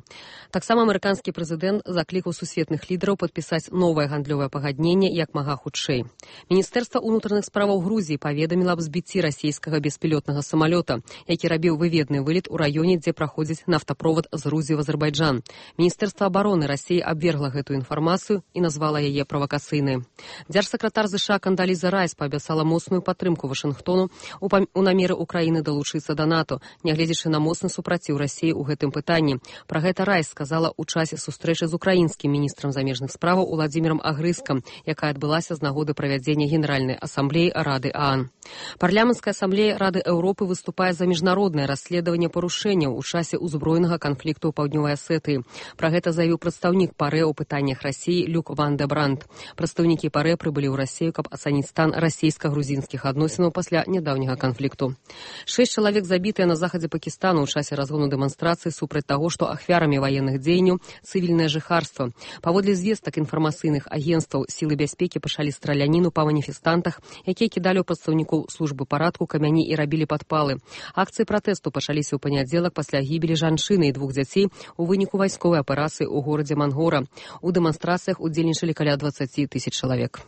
Таксама амерыканскі прэзідэнт заклікаў сусветных лідараў падпісаць новае гандлёвае пагадненне як мага хутчэй. Міністэрства ўнутраных справаў Грузіі паведаміла аб збіцці расійскага беспілётнага самалёта, які рабіў выведны вылет у раёне, дзе праходзіць нафтаправод з Грузіі ў Азербайджан. Міністэрства абароны Расіі абвергла гэтую інфармацыю і назвала яе правакацыйнай. Дзяржсакратар ЗША Кандаліза Райс паабяцала моцную падтрымку Вашынгтону у намеры Украіны далучыцца да НАТО, нягледзячы на моцны супраціў Расіі ў гэтым пытанні. Пра гэта Райс сказала ў часе сустрэчы з украінскім міністрам замежных справаў Уладзімірам Агрыскам, якая адбылася з нагоды правядзення Генеральнай асамблеі Рады ААН. Парламенцкая асамблея Рады Еўропы выступае за міжнароднае расследаванне парушэнняў у часе ўзброенага канфлікту ў Паўднёвай Асетыі. Пра гэта заявіў прадстаўнік ПАРЭ ў пытаннях Расіі Люк Ван де Бранд. Прадстаўнікі ПАРЭ прыбылі ў Расію, каб ацаніць стан расійска-грузінскіх адносінаў пасля нядаўняга канфлікту. 6 чалавек забітыя на захадзе Пакістану ў часе разгону дэманстрацыі супраць таго, што ахвярамі ваенных дзеянняў цывільнае жыхарства. Паводле звестак інфармацыйных агенцтваў, сілы бяспекі пачалі страляніну па маніфестантах, якія кідалі ў прадстаўнікоў службы парадку камяні і рабілі падпалы. Акцыі пратэсту пачаліся ў панядзелак пасля гібелі жанчыны і 2 дзяцей у выніку вайсковай аперацыі ў горадзе Мангора. У дэманстрацыях удзельнічалі каля 20 000 чалавек.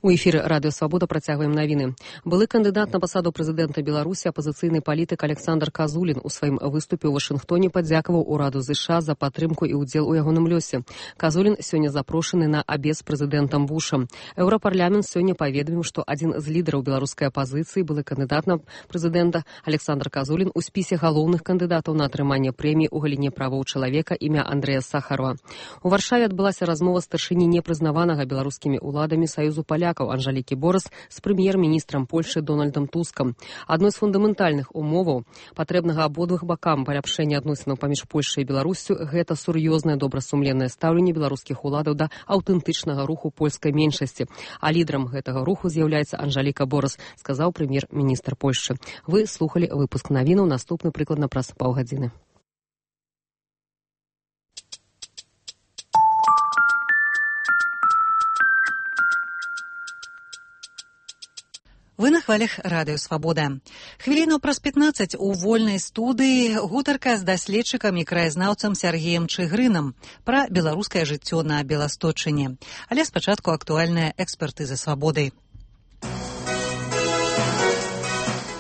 У эфіры радыё «Свабода» працягваем навіны. Былы кандыдат на пасаду прэзідэнта Беларусі, апазіцыйны палітык Александр Казулін у сваім выступе ў Вашынгтоне падзякаваў ураду ЗША за падтрымку і ўдзел у ягоным лёсе. Казулін сёння запрошаны на абед з прэзідэнтам Бушам. Еўрапарламент сёння паведаміў, што адзін з лідараў беларускай апазіцыі, былы кандыдат на прэзідэнта Александр Казулін у спісе галоўных кандыдатаў на атрыманне прэміі ў галіне правоў чалавека імя Андрэя Сахарова. У Варшаве адбылася размова старшыні непрызнаванага беларускімі ўладамі Саюзу палякаў Анжалікі Борас з прэм'ер-міністрам Польшы Дональдам Тускам. Адной з фундаментальных умоваў патрэбнага абодвух бакам паляпшэння адносінаў паміж Польшай і Беларуссю гэта сур'ёзнае добрасумленнае стаўленне беларускіх уладаў да аўтэнтычнага руху польскай меншасці. А лідарам гэтага руху з'яўляецца Анжаліка Борас, сказаў прэм'ер-міністр Польшчы. Вы слухалі выпуск навінаў, наступны прыкладна праз паўгадзіны. Вы на хвалях радыё «Свабода». Хвіліну праз 15 у вольнай студыі гутарка з даследчыкам і краязнаўцам Сяргеем Чыгрынам пра беларускае жыццё на Беласточыне. Але спачатку актуальная экспертыза «Свабоды».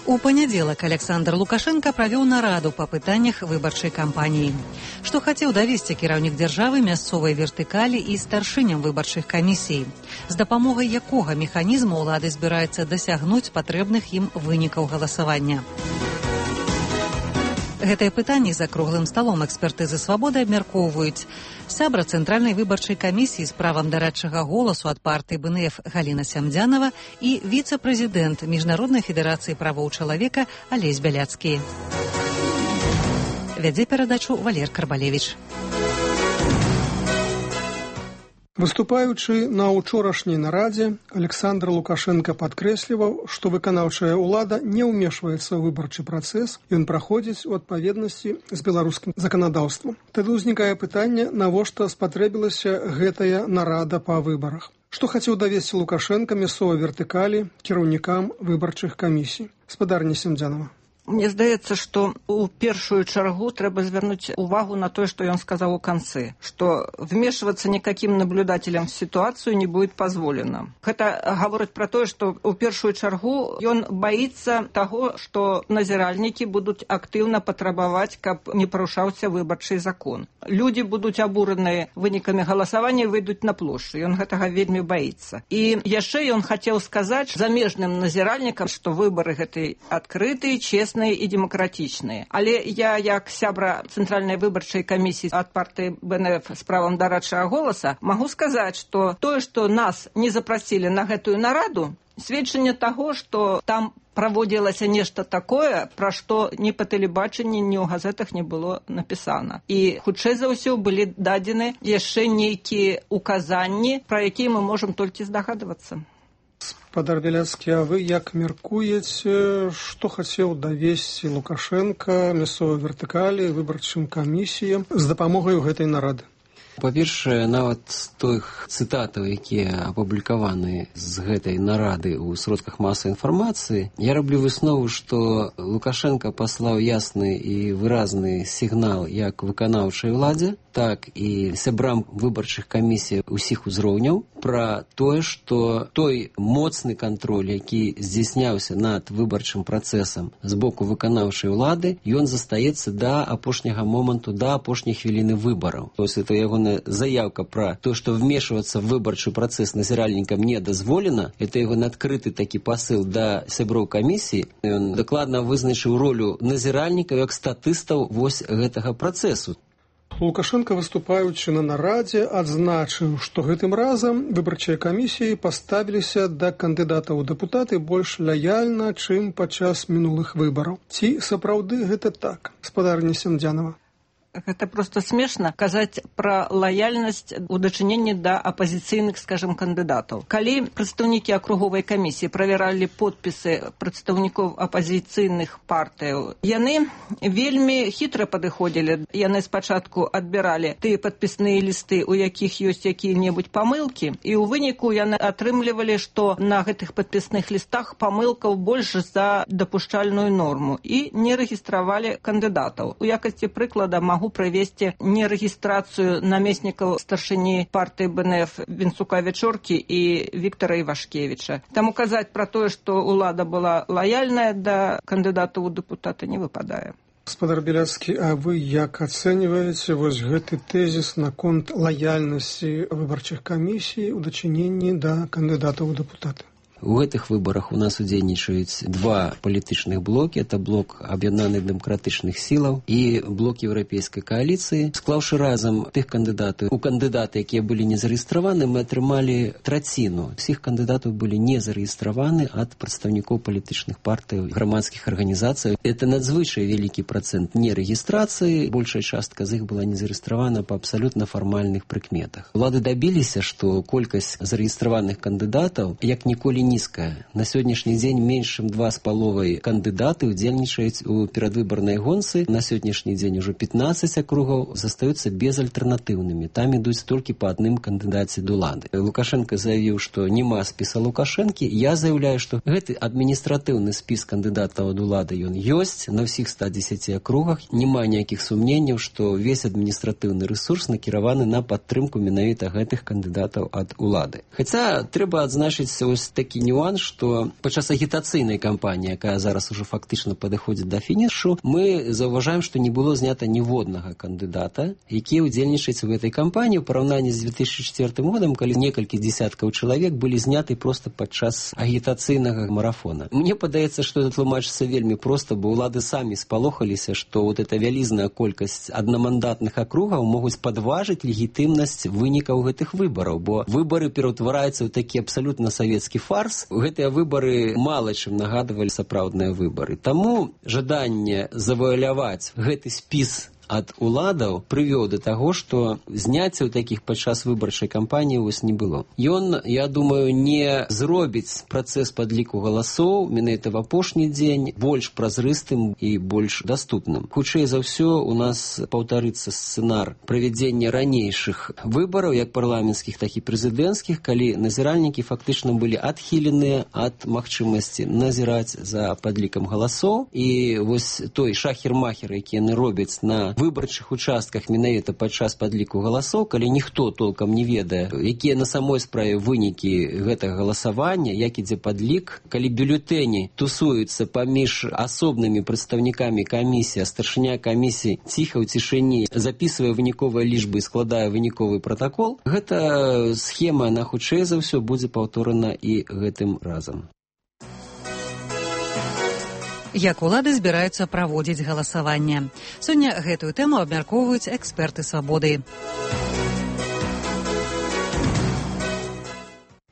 У панядзелак Александр Лукашенко правёў нараду па пытаннях выбарчай кампаніі. Што хацеў давесці кіраўнік дзяржавы мясцовай вертыкалі і старшыням выбарчых камісій? З дапамогай якога механізму ўлады збіраецца дасягнуць патрэбных ім вынікаў галасавання? Гэтыя пытанні за круглым сталом экспертызы «Свабоды» абмяркоўваюць сябра Цэнтральнай выбарчай камісіі з правам дарадчага голасу ад партыі БНФ Галіна Сямдзянава і віцэ-прэзідэнт Міжнароднай федэрацыі правоў чалавека Алесь Бяляцкі. Вядзе перадачу Валер Карбалевіч. Выступаючы на учорашняй нарадзе, Александр Лукашенко падкрэсліваў, што выканаўчая ўлада не ўмешваецца ў выбарчы працэс, ён праходзіць у адпаведнасці з беларускім заканадаўствам. Тады ўзнікае пытанне, навошта спатрэбілася гэтая нарада па выбарах. Што хацеў давесці Лукашенко мясцовай вертыкалі кіраўнікам выбарчых камісій? Спадарня Семдзянова. Мне здаецца, што ў першую чаргу трэба звярнуць увагу на тое, што ён сказаў у канцы, што вмешиваться никаким наблюдателям в ситуацию не будет позволено. Гэта гаворыць пра тое, што ў першую чаргу ён баіцца таго, што назіральнікі будуць актыўна патрабаваць, каб не парушаўся выбарчы закон. Людзі будуць абураныя вынікамі галасавання і выйдуць на плошчу. Ён гэтага вельмі баіцца. І яшчэ ён хацеў сказаць замежным назіральнікам, што выбары гэты адкрытыя, честныя і демократичные. Але я, як сябра Цэнтральнай выбарчай камісіі ад партыі БНФ з правам дарадчага голаса, магу сказаць, што тое, што нас не запрасілі на гэтую нараду, сведчанне таго, што там праводзілася нешта такое, пра што ні па тэлебачанні, ні ў газетах не было напісана. І хутчэй за ўсё былі дадзены яшчэ нейкія указанні, пра якія мы можам толькі здагадвацца. Спадар Беляцкі, а вы як меркуеце, што хацеў давесці Лукашенко мясцовай вертыкалі, выбарчым камісіям з дапамогай гэтай нарады? Па-першае, нават з тых цытатаў, якія апублікаваны з гэтай нарады ў сродках масавай інфармацыі, я раблю выснову, што Лукашенко паслаў ясны і выразны сігнал як выканаўчай уладзе, так і сябрам выбарчых камісій усіх узроўняў пра тое, што той моцны кантроль, які здзяйсняўся над выбарчым працэсам з боку выканаўчай улады, ён застаецца да апошняга моманту, да апошняй хвіліны выбараў. То есть это ягоная заявка пра то, што вмешвацца в выбарчы працэс назіральнікам не дазволена, это ягоны адкрыты такі пасыл да сяброў камісіі. Ён дакладна вызначыў ролю назіральнікаў як статыстаў вось гэтага працэсу. Лукашенко, выступаючы на нарадзе, адзначыў, што гэтым разам выбарчыя камісіі паставіліся да кандыдатаў у дэпутаты больш лаяльна, чым падчас мінулых выбараў. Ці сапраўды гэта так? Спадарня Семдзянова. Гэта проста смешна казаць пра лаяльнасць у дачыненні да апазіцыйных, скажем, кандыдатаў. Калі прадстаўнікі акруговай камісіі правяралі подпісы прадстаўнікоў апазіцыйных партыяў, яны вельмі хітра падыходзілі. Яны спачатку адбіралі тыя падпісныя лісты, у якіх ёсць якія-небудзь памылкі, і ў выніку яны атрымлівалі, што на гэтых падпісных лістах памылкаў больш за дапушчальную норму і не рэгістравалі кандыдатаў. У якасці прыклада магу правесці нерэгістрацыю намеснікаў старшыні партыі БНФ Вінцука Вечоркі і Віктара Івашкевіча. Таму казаць пра тое, што ўлада была лаяльная да кандыдатаў у дэпутаты, не выпадае. Спадар Беляцкі, а вы як ацэньваеце вось гэты тэзіс наконт лаяльнасці выбарчых камісій у дачыненні да кандыдатаў у дэпутаты? У гэтых выбарах у нас удзельнічаюць два палітычных блокі. Это блок аб'яднаных дэмакратычных сілаў і блок еўрапейскай кааліцыі. Склаўшы разам тых кандыдатаў, у кандыдаты, якія былі не зарэгістраваны, мы атрымалі траціну. Усіх кандыдатаў былі не зарэгістраваны ад прадстаўнікоў палітычных партый, грамадскіх арганізацый. Это надзвычай вялікі працэнт нерэгістрацыі. Большая частка з іх была не зарэгістравана па абсалютна фармальных прыкметах. Улады дабіліся, што колькасць зарэгістраваных кандыдатаў як ніколі нізкая. На сённяшні дзень менш чым 2,5 кандыдаты удзельнічаюць у перадвыбарнай гонцы. На сённяшні дзень ужо 15 акругаў застаюцца безальтэрнатыўнымі. Там ідуць толькі па адным кандыдаце d'улады. Лукашенко заявіў, што няма спіса Лукашэнкі. Я заяўляю, што гэты адміністратыўны спіс кандыдатаў d'улады ён ёсць на ўсіх 110 акругах. Няма ніякіх сумненняў, што весь адміністратыўны рэсурс накіраваны на падтрымку менавіта гэтых кандыдатаў ад улады. Хаця трэба адзначыць ось такі нюанс, што падчас агітацыйнай кампаніі, якая зараз ужо фактычна падыходзіць да фінішу, мы заўважаем, што не было знята ніводнага кандыдата, які ўдзельнічаюць у гэтай кампаніі ў параўнанні з 2004 годам, калі некалькі дзесяткаў чалавек былі зняты проста падчас агітацыйнага марафона. Мне падаецца, што это тлумачыцца вельмі проста, бо ўлады самі спалохаліся, што вот эта вялізная колькасць аднамандатных акругаў могуць падважыць легітымнасць вынікаў гэтых выбараў, бо выбары пераўтвараюцца ў такі абсалютна савецкі фарс. Гэтыя выбары мала чым нагадывалі сапраўдныя выбары. Таму жаданне завуаляваць гэты спіс ад уладаў прывёў да таго, што зняццяў такіх падчас выбарчай кампаніі вось не было. Ён, я думаю, не зробіць працэс падліку галасоў менавіта в апошні дзень больш празрыстым і больш даступным. Хутчэй за ўсё у нас паўтарыцца сцэнар правядзення ранейшых выбараў, як парламенцкіх, так і прэзідэнцкіх, калі назіральнікі фактычна былі адхіленыя ад магчымасці назіраць за падлікам галасоў. І вось той шахер-махер, які яны робяць на выбарчых участках менавіта падчас падліку галасоў, калі ніхто толкам не ведае, якія на самой справе вынікі гэтага галасавання, як ідзе падлік, калі бюлетэні тусуюцца паміж асобнымі прадстаўнікамі камісіі, а старшыня камісіі ціха ў цішыні запісвае выніковыя лічбы і складае выніковы пратакол, гэта схема, на хутчэй за ўсё будзе паўторана і гэтым разам. Як улады збіраюцца праводзіць галасаванне. Сёння гэтую тэму абмяркоўваюць эксперты «Свабоды».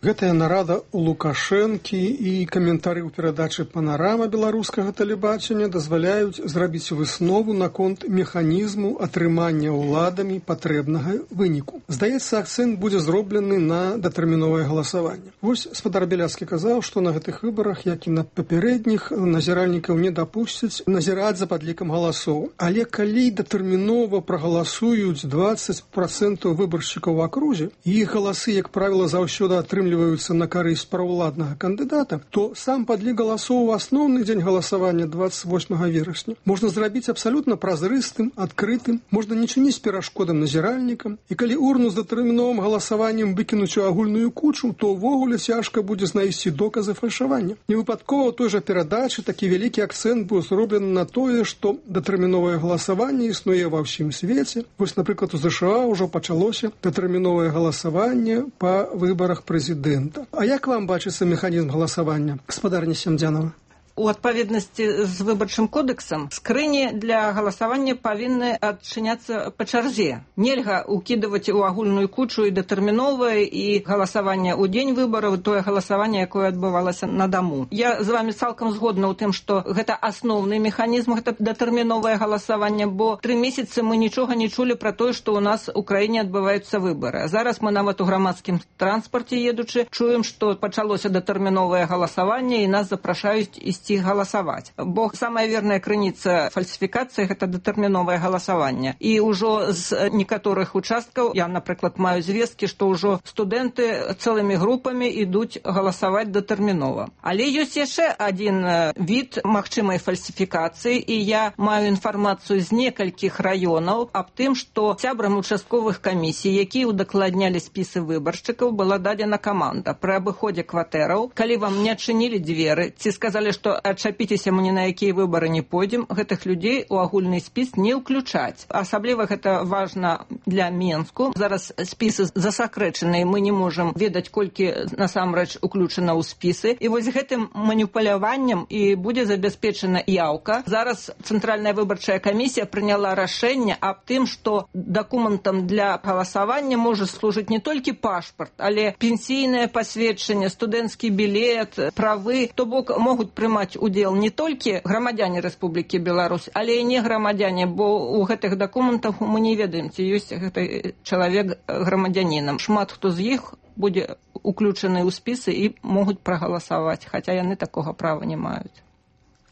Гэтая нарада у Лукашэнкі і каментары ў перадачы «Панарама» беларускага тэлебачання дазваляюць зрабіць выснову наконт механізму атрымання ўладамі патрэбнага выніку. Здаецца, акцэнт будзе зроблены на датэрміновае галасаванне. Вось спадар Бяляцкі казаў, што на гэтых выбарах, як і на папярэдніх, назіральнікаў не дапусцяць назіраць за падлікам галасоў. Але калі датэрмінова прагаласуюць 20% выбаршчыкаў у акрузе, і іх галасы, як правіла, заўсёды атрымліваюць на карысць праўладнага кандыдата, то сам падлік галасоў у асноўны дзень галасавання 28 верасня можна зрабіць абсалютна празрыстым, адкрытым, можна не чыніць перашкодам назіральнікам, і калі урну з датэрміновым галасаваннем выкінуць у агульную кучу, то ўвогуле цяжка будзе знайсці доказы фальшавання. Невыпадкова ў той жа перадачы такі вялікі акцэнт быў зроблены на тое, што датэрміновае галасаванне існуе ва ўсім свеце. Вось, напрыклад, у ЗША ўжо пачалося датэрміновае галасаванне па выбарах прэзідэнта. А як вам бачыцца механізм галасавання, гаспадарня Семдзянова? У адпаведнасці з выбарчым кодэксам скрыні для галасавання павінны адчыняцца па чарзе. Нельга ўкідваць у агульную кучу і датэрміновае, і галасаванне ў дзень выбараў, тое галасаванне, якое адбывалася на даму. Я з вами цалкам згодна ў тым, што гэта асноўны механізм, гэта датэрміновае галасаванне, бо 3 месяцы мы нічога не чулі пра тое, што ў нас у краіне адбываюцца выбары. А зараз мы нават у грамадскім транспарце едучы чуем, што пачалося датэрміновае галасаванне і нас запрашаюць ісці галасаваць. Бо самая верная крыніца фальсіфікацыі гэта датэрміновае галасаванне. І ўжо з некаторых участкаў, я, напрыклад, маю звесткі, што ўжо студэнты цэлымі групамі ідуць галасаваць датэрмінова. Але ёсць яшчэ адзін від магчымай фальсіфікацыі, і я маю інфармацыю з некалькіх раёнаў аб тым, што сябрам участковых камісій, якія удакладнялі спісы выбаршчыкаў, была дадзена каманда пры абыходзе кватэраў. Калі вам не адчынілі дзверы, ці сказалі, што адчапіцеся, мы ні на якія выбары не пойдзем, гэтых людзей у агульны спіс не ўключаць. Асабліва гэта важна для Менску. Зараз спісы засакрэчаныя, мы не можам ведаць, колькі насамрэч уключана ў спісы. І вось гэтым маніпуляваннем і будзе забяспечана яўка. Зараз Цэнтральная выбарчая камісія прыняла рашэнне аб тым, што дакументам для галасавання можа служыць не толькі пашпарт, але пенсійнае пасведчанне, студэнцкі білет, правы, то бок могуць прымаць удзел не толькі грамадзяне Рэспублікі Беларусь, але і не грамадзяне, бо ў гэтых дакументах мы не ведаем, ці ёсць гэты чалавек грамадзянінам. Шмат хто з іх будзе уключаны ў спісы і могуць прагаласаваць, хаця яны такога права не маюць.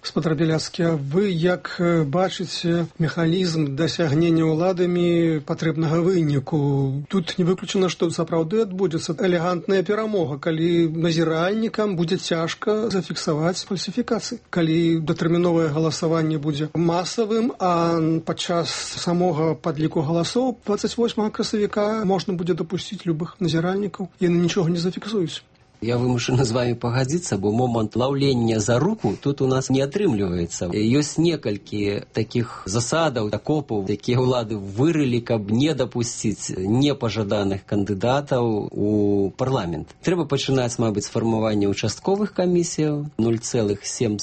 Спадар Бяляцкі, а вы як бачыце механізм дасягнення ўладамі патрэбнага выніку? Тут не выключана, што сапраўды адбудзецца элегантная перамога, калі назіральнікам будзе цяжка зафіксаваць фальсіфікацыі. Калі датэрміновае галасаванне будзе масавым, а падчас самога падліку галасоў 28 красавіка можна будзе дапусціць любых назіральнікаў, яны нічога не зафіксуюць. Я вымушаны з вами пагадзіцца, бо момант лаўлення за руку тут у нас не атрымліваецца. Ёсць некалькі такіх засадаў, акопаў, якія ўлады вырылі, каб не дапусціць непажаданых кандыдатаў у парламент. Трэба пачынаць, мабыць, з фармавання участковых камісіяў, 0,7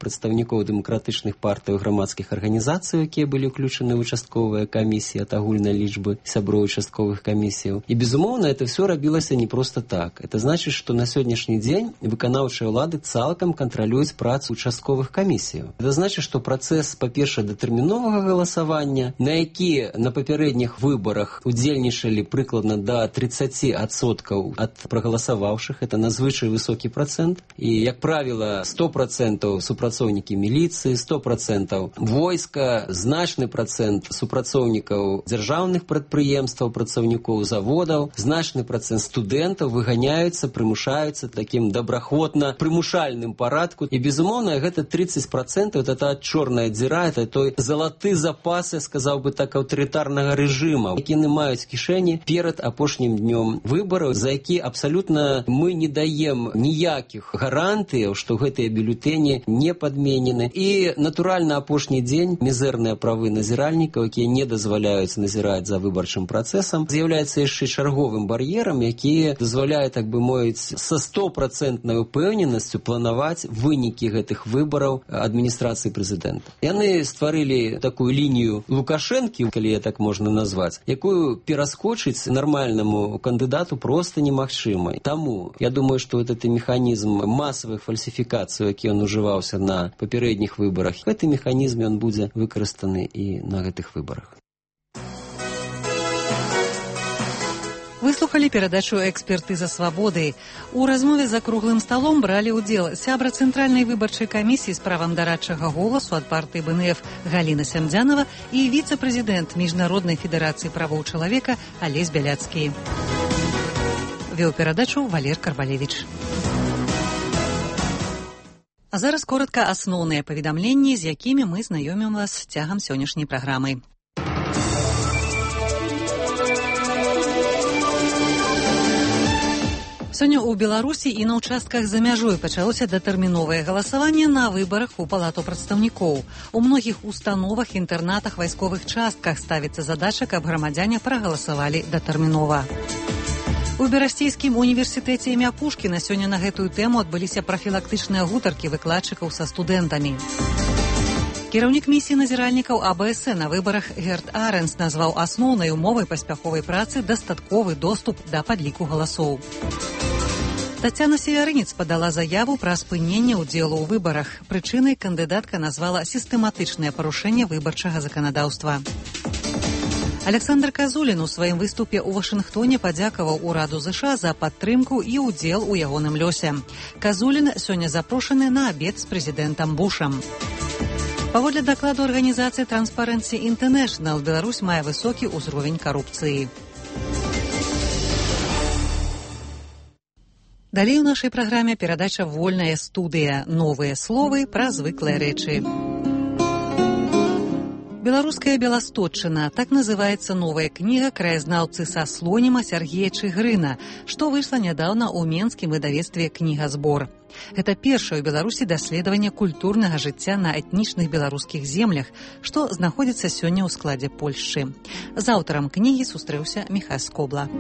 прадстаўнікоў дэмакратычных партый, грамадскіх арганізацый, якія былі ўключаны ў участковыя камісіі ад агульнай лічбы сяброў участковых камісіяў. І, безумоўна, это все рабілася не проста так. Это значит, што на сённяшні дзень выканаўчыя ўлады цалкам кантралююць працу участковых камісіяў. Гэта значыць, што працэс, па-першае, датэрміновага галасавання, на які на папярэдніх выбарах удзельнічалі прыкладна да 30% ад прагаласаваўшых, это надзвычай высокі працэнт, і, як правіла, 100% супрацоўнікі міліцыі, 100% войска, значны працэнт супрацоўнікаў дзяржаўных прадпрыемстваў, працаўнікоў заводаў, значны працэнт студэнтаў выганяюцца, прымушаюцца такім добраахвотна прымушальным парадку. І, безумоўна, гэта 30% это та чорная дзіра, это той залаты запас, я сказаў бы так, аўтарытарнага рэжыма, які яны маюць кішэні перад апошнім днём выбараў, за які абсалютна мы не даем ніякіх гарантыяў, што гэтыя бюлетэні не падменены. І, натуральна, апошні дзень мізэрныя правы назіральнікаў, якія не дазваляюць назіраць за выбарчым працэсам, з'яўляецца яшчэ чарговым бар'ерам, які дазваляе, так бы мовіць, са 100% упэўненасцю планаваць вынікі гэтых выбараў адміністрацыі прэзідэнта. Яны стварылі такую лінію Лукашэнкі, калі я так можна назваць, якую пераскочыць нармальнаму кандыдату проста немагчыма. Таму я думаю, што этот механізм масавых фальсіфікацый, які ён ужываўся на папярэдніх выбарах, гэты механізм ён будзе выкарыстаны і на гэтых выбарах. Выслухалі перадачу «Экспертыза свабоды». У размове за круглым сталом бралі ўдзел сябра Цэнтральнай выбарчай камісіі з правам дарадчага голасу ад партыі БНФ Галіна Сямдзянова і віцэ-прэзідэнт Міжнароднай федэрацыі правоў чалавека Алесь Бяляцкі. Вёў перадачу Валер Карбалевіч. А зараз коротка асноўныя паведамленні, з якімі мы знаёмім вас цягам сённяшняй праграмы. Сёння ў Беларусі і на ўчастках за мяжой пачалося датэрміновае галасаванне на выбарах у Палату прадстаўнікоў. У многіх установах, інтэрнатах, вайсковых частках ставіцца задача, каб грамадзяне прагаласавалі датэрмінова. У Берасцейскім універсітэце імя Пушкіна сёння на гэтую тэму адбыліся прафілактычныя гутаркі выкладчыкаў са студэнтамі. Кіраўнік місіі назіральнікаў АБС на выбарах Герт Аренс назваў асноўнай умовай паспяховай працы дастатковы доступ да падліку галасоў. Тацяна Севярынец падала заяву пра спыненне ўдзелу ў выбарах. Прычынай кандыдатка назвала сістэматычнае парушэнне выбарчага заканадаўства. Александр Казулін у сваім выступе ў Вашынгтоне падзякаваў ураду ЗША за падтрымку і ўдзел у ягоным лёсе. Казулін сёння запрошаны на абед з прэзідэнтам Бушам. Паводле дакладу арганізацыі Transparency International, Беларусь мае высокі ўзровень карупцыі. Далей у нашай праграме перадача «Вольная студыя». Новыя словы пра звыклыя рэчы. Беларуская Беластотчына. Так называецца новая кніга краязнаўцы са Слоніма Сергея Чыгрына, што выйшла нядаўна ў менскім выдавецтве «Кнігазбор». Гэта першае ў Беларусі даследаванне культурнага жыцця на этнічных беларускіх землях, што знаходзіцца сёння ў складзе Польшчы. З аўтарам кнігі сустрэўся Міхась Скобла.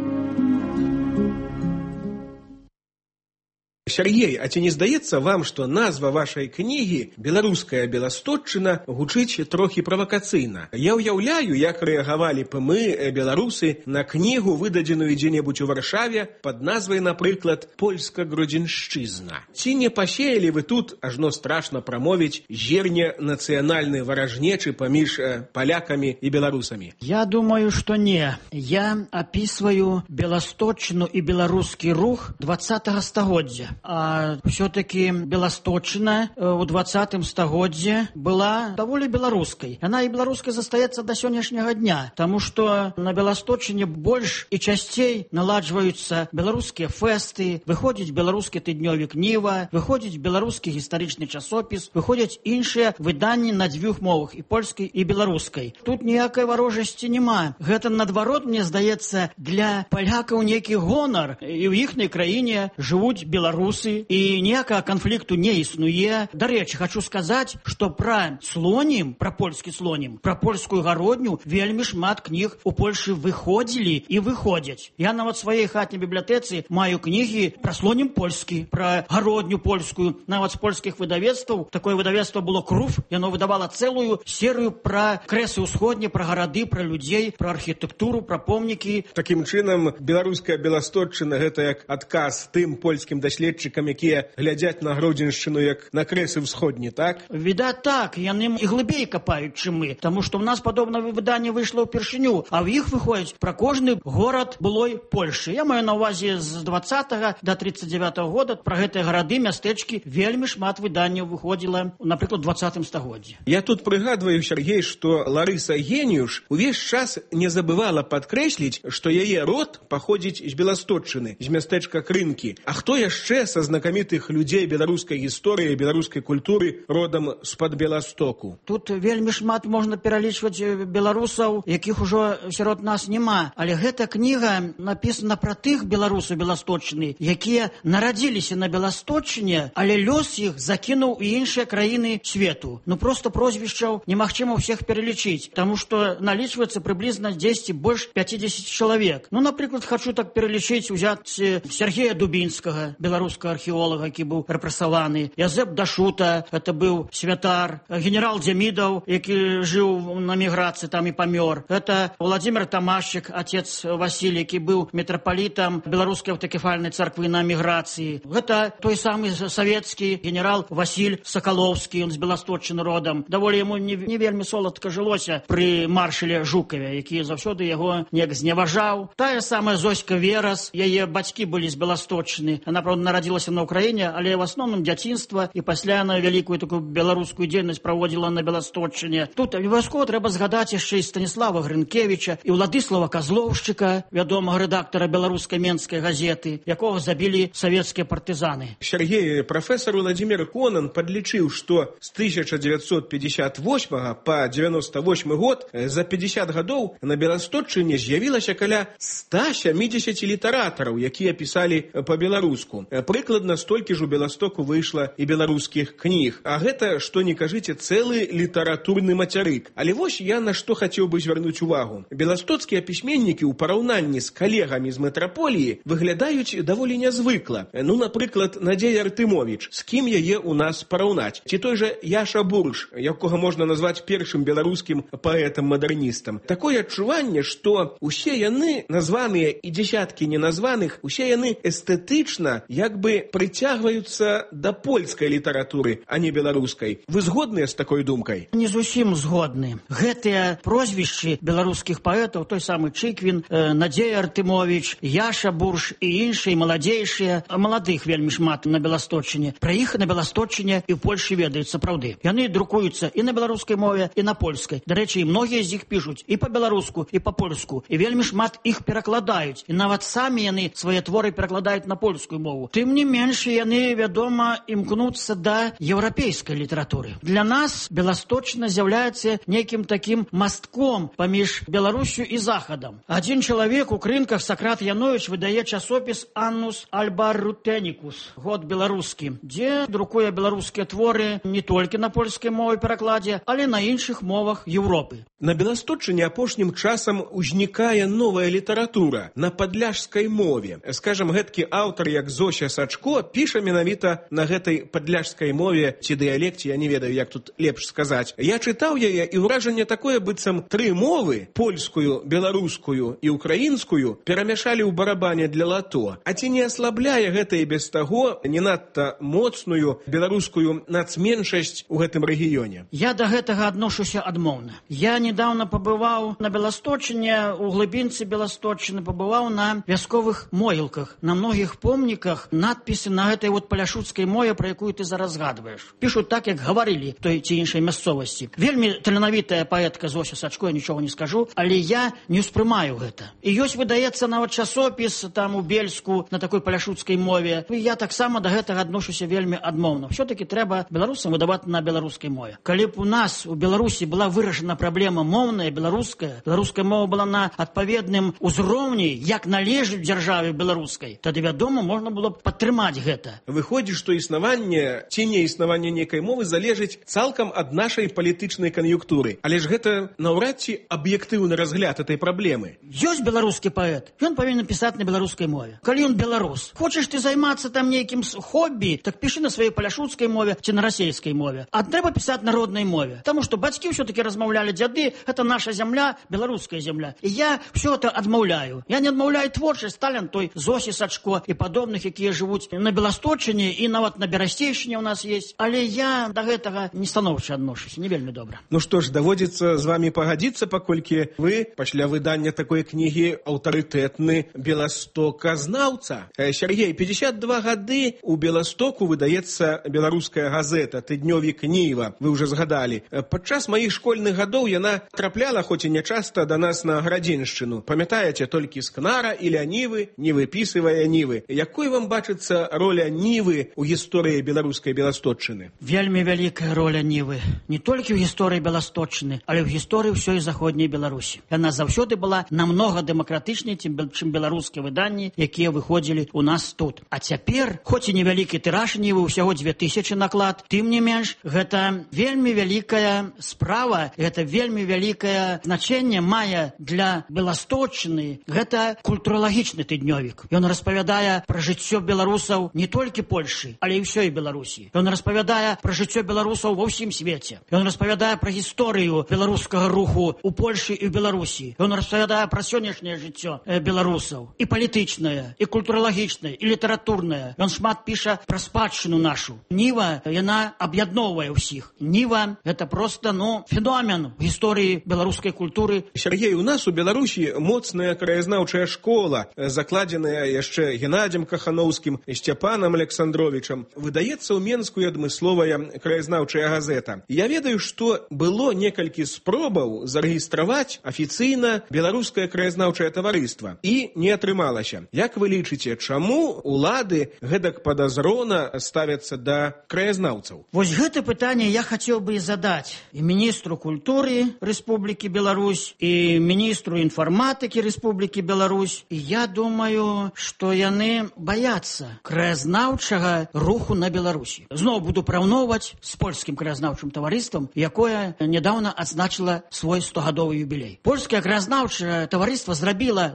Сергей, а ці не здаецца вам, што назва вашай кнігі «Беларуская Беластотчына» гучыць трохі правакацыйна? Я ўяўляю, як рэагавалі б мы, беларусы, на кнігу, выдадзеную дзе-небудзь у Варшаве пад назвай, напрыклад, «Польска-Гродзеншчызна». Ці не пасеялі вы тут, ажно страшна прамовіць, зерне нацыянальнай варажнечы паміж палякамі і беларусамі? Я думаю, што не. Я апісваю Беластотчыну і беларускі рух 20-го стагоддзя. А все-таки Беластотчына ў 20-м стагоддзе была даволі беларускай. Яна і беларускай застаецца да сённяшняга дня, таму што на Беластотчыне больш і часцей наладжваюцца беларускія фэсты, выходзіць беларускі тыднёвік «Ніва», выходзіць беларускі гістарычны часопіс, выходзяць іншыя выданні на дзвюх мовах, і польскай, і беларускай. Тут ніякай варожасці няма. Гэта, наадварот, мне здаецца, для палякаў нейкі гонар. І ў іхняй краіне жывуць беларусы, беларусы, і ніякага канфлікту не існуе. Дарэчы, хочу сказаць, што пра слонім, пра польскі слонім, пра польскую гародню вельмі шмат кніг у Польшы выходзілі і выходзяць. Я нават сваёй хатняй бібліятэцы маю кнігі пра слонім польскі, пра гародню польскую, нават з польскіх выдавецтваў. Такое выдавецтва было «Круф», яно выдавала цэлую серыю пра крэсы ўсходні, пра гарады, пра людзей, пра архітэктуру, пра помнікі. Такім чынам, беларуская Беласточчына — гэта як адказ тым польскім даследчыкам, якія глядзяць на Гродзеншчыну як на крэсы ўсходні, так? Відаць так, яны і глыбей капаюць, чым мы, таму што ў нас падобнае выданне выйшло ўпершыню, а ў іх выходзіць пра кожны горад былой Польшы. Я маю на ўвазе з 20 до 39 года пра гэтыя гарады, мястэчкі вельмі шмат выданняў выходзіла, напрыклад, у 20 стагоддзі. Я тут прыгадваю, Сергей, што Ларыса Геніюш увесь час не забывала падкрэсліць, што яе род паходзіць з Беласточчыны, з мястэчка Крынкі. А хто яшчэ са знакамітых людзей беларускай гісторыі, беларускай культуры родам з-пад Беластоку? Тут вельмі шмат можна пералічваць беларусаў, якіх ужо сярод нас няма. Але гэта кніга напісана пра тых беларусаў Беласточчыны, якія нарадзіліся на Беласточчыне, але лёс іх закінуў у іншыя краіны свету. Ну просто прозвішчаў немагчыма ўсіх пералічыць, таму што налічваецца прыблізна 10 больш 50 чалавек. Ну, напрыклад, хочу так пералічыць, узяць Сергея Дубінскага, беларускага археолага, які быў рэпрэсаваны, Язэп Дашута, это быў святар, генерал Дзямідаў, які жыў на міграцыі, там і памёр. Это Владимир Тамашчык, отец Васіль, які быў мітрапалітам беларускай аўтакефальнай царквы на міграцыі. Гэта той самы савецкі генерал Васіль Сакалоўскі, ён з Беласточчыны родам. Даволі яму не вельмі соладка жылося пры маршале Жукаве, які заўсёды яго неяк зневажаў. Тая самая Зоська Верас, яе бацькі былі з Беласточчыны. Яна, правда, нарадзілася на Ўкраіне, але в асноўным дзяцінства, і пасля на вялікую такую беларускую дзейнасць праводзіла на Беласточчыне. Тут абавязкова трэба згадаць яшчэ і Станіслава Грынкевіча, і Ўладыслава Казлоўшчыка, вядомага рэдактара беларускай менскай газеты, якога забілі савецкія партызаны. Сергей, прафесор Владимир Конан падлічыў, што з 1958 па 98 год за 50 гадоў на Беласточчыне з'явілася каля 170 літаратараў, якія пісалі па-беларуску. Прыкладна столькі ж у Беластоку выйшла і беларускіх кніг. А гэта, што не кажыце, цэлы літаратурны мацярык. Але вось я на што хацеў бы звярнуць увагу. Беластоцкія пісьменнікі ў параўнанні з калегамі з метраполіі выглядаюць даволі нязвыкла. Ну, напрыклад, Надзея Артымовіч. З кім яе ў нас параўнаць? Ці той жа Яша Бурш, якога можна назваць першым беларускім паэтам-мадэрністам. Такое адчуванне, што усе яны, названыя і дзесяткі неназваных, усе яны эстэтычна як бы прыцягваюцца да польскай літаратуры, а не беларускай. Вы згодныя з такой думкай? Не зусім згодны. Гэтыя прозвішчы беларускіх паэтаў, той самы Чыквін, Надзея Артымовіч, Яша Бурш і іншыя маладзейшыя, маладых вельмі шмат на Беласточчыне. Пра іх на Беласточчыне і ў Польшы ведаюць сапраўды. Яны друкуюцца і на беларускай мове, і на польскай. Дарэчы, і многія з іх пішуць і па-беларуску, і па-польску. І вельмі шмат іх перакладаюць. І нават самі яны свае творы перакладаюць на польскую мову. Тым не менш, яны, вядома, імкнуцца да еўрапейскай літаратуры. Для нас Беласточчына з'яўляецца нейкім такім мастком паміж Беларусю і Захадам. Адзін чалавек у Крынках, Сакрат Яновіч, выдае часопіс «Аннус Альбарутенікус», год беларускі, дзе друкуе беларускія творы не толькі на польскай мове перакладзе, але на іншых мовах Еўропы. На Беласточчыне апошнім часам узнікае новая літаратура на падляшскай мове. Скажам, гэткі аўтар, як Зося Сачко, піша менавіта на гэтай падляшскай мове ці дыялекце, я не ведаю, як тут лепш сказаць. Я чытаў яе, і ўражанне такое, быццам тры мовы, польскую, беларускую і украінскую, перамяшалі ў барабане для лато. А ці не аслабляе гэта і без таго не надта моцную беларускую нацменшасць у гэтым рэгіёне? Я да гэтага адношуся адмоўна. Я недавно пабываў на Беласточчыне, у глыбінцы Беласточчыны, пабываў на вясковых могілках. На многіх помніках надпісы на гэтай вот паляшуцкай мове, пра якую ты зараз згадваеш. Пішуць так, як гаварылі той ці іншай мясцовасці. Вельмі таленавітая паэтка Зося Сачко, я нічога не скажу, але я не ўспрымаю гэта. І ёсць, выдаецца нават часопіс там у Бельску на такой паляшуцкай мове. І я таксама да гэтага адношуся вельмі адмоўна. Все-таки трэба беларусам выдаваць на беларускай мове. Калі б у нас у Беларусі была вырашана праблема моўная, беларуская мова была на адпаведным узроўні, як належыць дзяржаве беларускай, тады, вядома, можна было б падтрымаць атрымаць гэта. Выходзіць, што існаванне ці неіснаванне нейкай мовы залежыць цалкам ад нашай палітычнай кан'юнктуры. Але ж гэта наўрад ці аб'ектыўны разгляд этой праблемы. Ёсць беларускі паэт, ён павінен пісаць на беларускай мове. Калі ён беларус, хочаш ты займацца там нейкім хобі, так пішы на сваёй паляшуцкай мове ці на расейскай мове. А трэба пісаць на роднай мове. Таму што бацькі ўсё-такі размаўлялі, дзяды, гэта наша зямля, беларуская зямля. І я ўсё это адмаўляю. Я не адмаўляю творчасць Сталін, той Зосі Сачко і падобных, якія жывуць на Беласточыне і нават на Берасцейшчыне у нас есть. Але я да гэтага не станоўча адношуся, не вельмі добра. Ну што ж, даводзіцца з вамі пагадзіцца, паколькі вы пасля выдання такой кнігі аўтарытэтны беластоказнаўца. Сергей, 52 гады у Беластоку выдаецца беларуская газета «Тыднёвік Ніва». Вы ўжо згадалі. Падчас маіх школьных гадоў яна трапляла, хоць і нячаста, да нас на Градзеншчыну. Памятаеце толькі Скнара і Нівы, не выпісывая Нівы. Якой вам бачыцца роля Нівы ў гісторыі беларускай Беласточчыны? Вельмі вялікая роля Нівы. Не толькі ў гісторыі Беласточчыны, але ў гісторыі ўсёй заходняй Беларусі. Яна заўсёды была намнога дэмакратычней, чым беларускія выданні, якія выходзілі ў нас тут. А цяпер, хоць і невялікі тыраж Нівы, усяго 2000 наклад, тым не менш, гэта вельмі вялікая справа, гэта вельмі вялікае значэнне мае для Беласточчыны. Гэта культуралагічны тыднёвік. Ён распавядае пра жыццё беларусаў не толькі Польшы, але і ўсёй Беларусі. Ён распавядае пра жыццё беларусаў ва ўсім свеце. Ён распавядае пра гісторыю беларускага руху ў Польшы і ў Беларусі. Ён распавядае пра сённяшняе жыццё беларусаў. І палітычнае, і культуралагічнае, і літаратурнае. Ён шмат піша пра спадчыну нашу. Ніва, яна аб'ядноўвае ўсіх. Ніва, гэта проста, феномен у гісторыі беларускай культуры. Сергей, у нас у Беларусі моцная краязнаўчая школа, закладзеная яшчэ Геннадзем Кахановскім і Сцяпанам Александровичам. Выдаецца ў Менску і адмысловая краязнаўчая газета. Я ведаю, што было некалькі спробаў зарэгістраваць афіцыйна беларускае краязнаўчае таварыства. І не атрымалася. Як вы лічыце, чаму улады гэтак падазрона ставяцца да краязнаўцаў? Вось гэта пытанне я хацеў бы і задаць і міністру культуры Рэспублікі Беларусь, і міністру інфарматыкі Рэспублікі Беларусь. І я думаю, што яны баяцца краязнаўчага руху на Беларусі. Зноў буду параўноўваць з польскім краязнаўчым таварыствам, якое нядаўна адзначыла свой 100-гадовы юбілей. Польскае краязнаўчае таварыства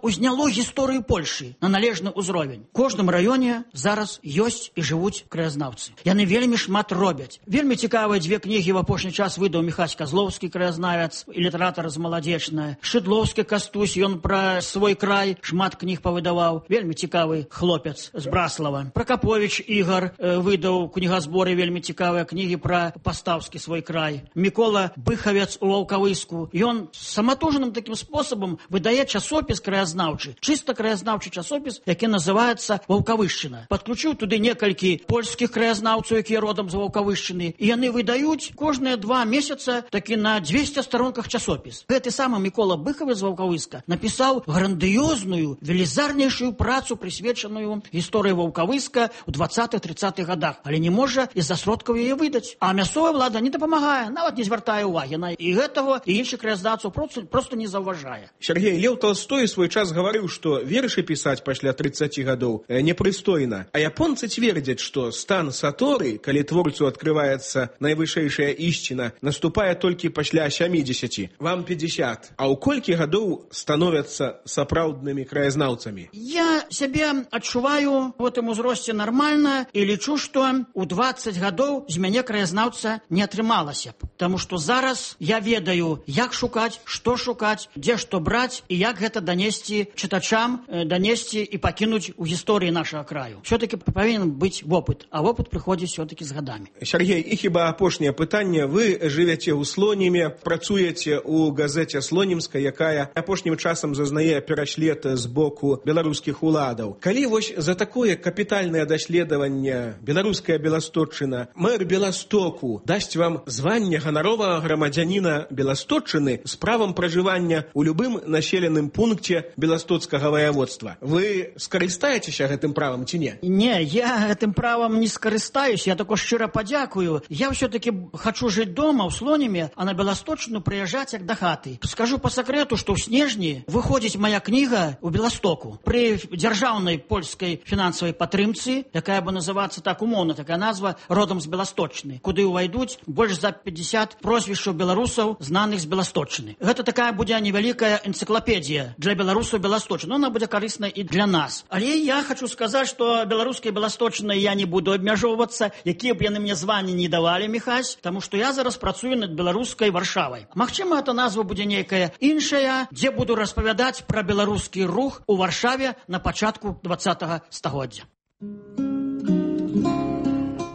узняло гісторыю Польшы на належны ўзровень. У кожным раёне зараз ёсць і жывуць краязнаўцы. Яны вельмі шмат робяць. Вельмі цікавыя 2 кнігі в апошні час выдаў Міхась Казлоўскі, краязнавец і літаратар з Маладзечная. Шыдлоўскі Кастусь, ён пра свой край шмат кніг павыдаваў. Вельмі цікавы хлопец з Браслава. Пракаповіч Ігар выдаў кнігазборы вельмі цікавыя кнігі пра пастаўскі свой край. Мікола Быхавец у Ваўкавыску. Ён саматужным такім спосабам выдае часопіс краязнаўчы, чыста краязнаўчы часопіс, які называецца Ваўкавышчына. Падключыў туды некалькі польскіх краязнаўцаў, якія родам з Ваўкавышчыны, і яны выдаюць кожныя 2 месяца такі на 200 старонках часопіс. Гэты самы Мікола Быхавец з Ваўкавыска напісаў грандыёзную, велізарнейшую працу, прысвечаную гісторыі Ваўкавыска ў 20-30-х гадах, але не можа з-за сродкаў яе выдаць. А мясцовая ўлада не дапамагае, нават не звяртае ўвагі на і гэтага, і іншых краязнаўцаў проста не заўважае. Сергей, Леў Толстой свой час гаварыў, што вершы пісаць пасля 30 гадоў непрыстойна. А японцы цвердзяць, што стан саторы, калі творцу адкрываецца найвышэйшая ісціна, наступае толькі пасля 70. Вам 50. А ў колькі гадоў становяцца сапраўднымі краязнаўцамі? Я сябе адчуваю в гэтым узросце нармальна і лічу, што ў 20 гадоў з мяне краязнаўца не атрымалася. Таму што зараз я ведаю, як шукаць, што шукаць, дзе што браць і як гэта данесці чытачам, данесці і пакінуць у гісторыі нашага краю. Все-таки павінен быць вопыт, а вопыт прыходзіць все-таки з гадамі. Сергей, і хіба апошняе пытанне. Вы жывяце ў Слоніме, працуеце ў газеце «Слонімска», якая апошнім часам зазнае пераслед з боку беларускіх уладаў. Калі вось за такое капітальнае даследаванне беларуская Беласточчына, мэр Беластоку дасць вам званне ганаровага грамадзяніна Беласточчыны з правам пражывання ў любым населеным пункце беластоцкага ваяводства, вы скарыстаецеся гэтым правам ці не? Не, я гэтым правам не скарыстаюсь, я тако шчыра падзякую. Я все-таки хочу жыць дома ў Слоніме, а на Беласточчыну прыязджаць як да хаты. Скажу по сакрэту, што ў снежні выходзіць моя кніга ў Беластоку. Пры дзяржаўнай польскай фінансавай беларускай падтрымцы, якая бы называцца так умоўна, такая назва родам з Беласточны, куды ўвайдуць больш за 50 прозвішчаў беларусаў, знаных з Беласточны. Гэта такая будзе невялікая энцыклапедія для беларусаў Беласточны. Она будзе карысна і для нас. Але я хочу сказаць, што беларускай Беласточнай я не буду абмяжоўвацца, якія б яны мне званні не давалі, Міхась, таму што я зараз працую над беларускай Варшавай. Магчыма, эта назва будзе нейкая іншая, дзе буду распавядаць пра беларускі рух у Варшаве на пачатку 20-го стагоддзя.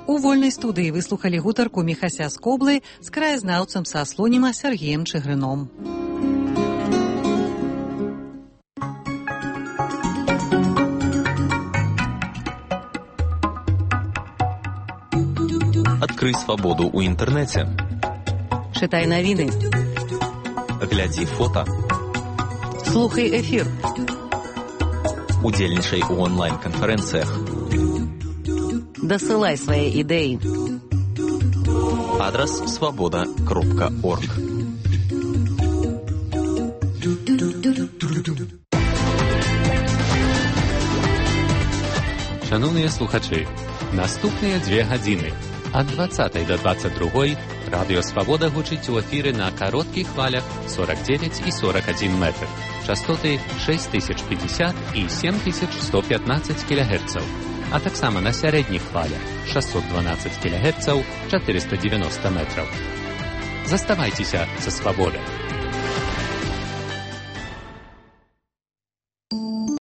У вольнай студыі выслухалі гутарку Міхася з Коблы з краязнаўцам са Слоніма Сергеем Чыгрыном. Адкрый свабоду ў інтэрнэце. Чытай навіны. Глядзі фота. Слухай эфір. Удзельнічай у онлайн-канферэнцыях. Дасылай свае ідэі. Адрас свабода.орг. Шановныя слухачы, наступныя 2 гадзіны ад 20 до 22 радыё Свабода гучыць у эфіры на кароткіх хвалях 49 і 41 метр, частоты 6050 і 7115 кГц, а таксама на сярэдніх хвалях 612 кГц, 490 метраў. Заставайцеся са Свабодай.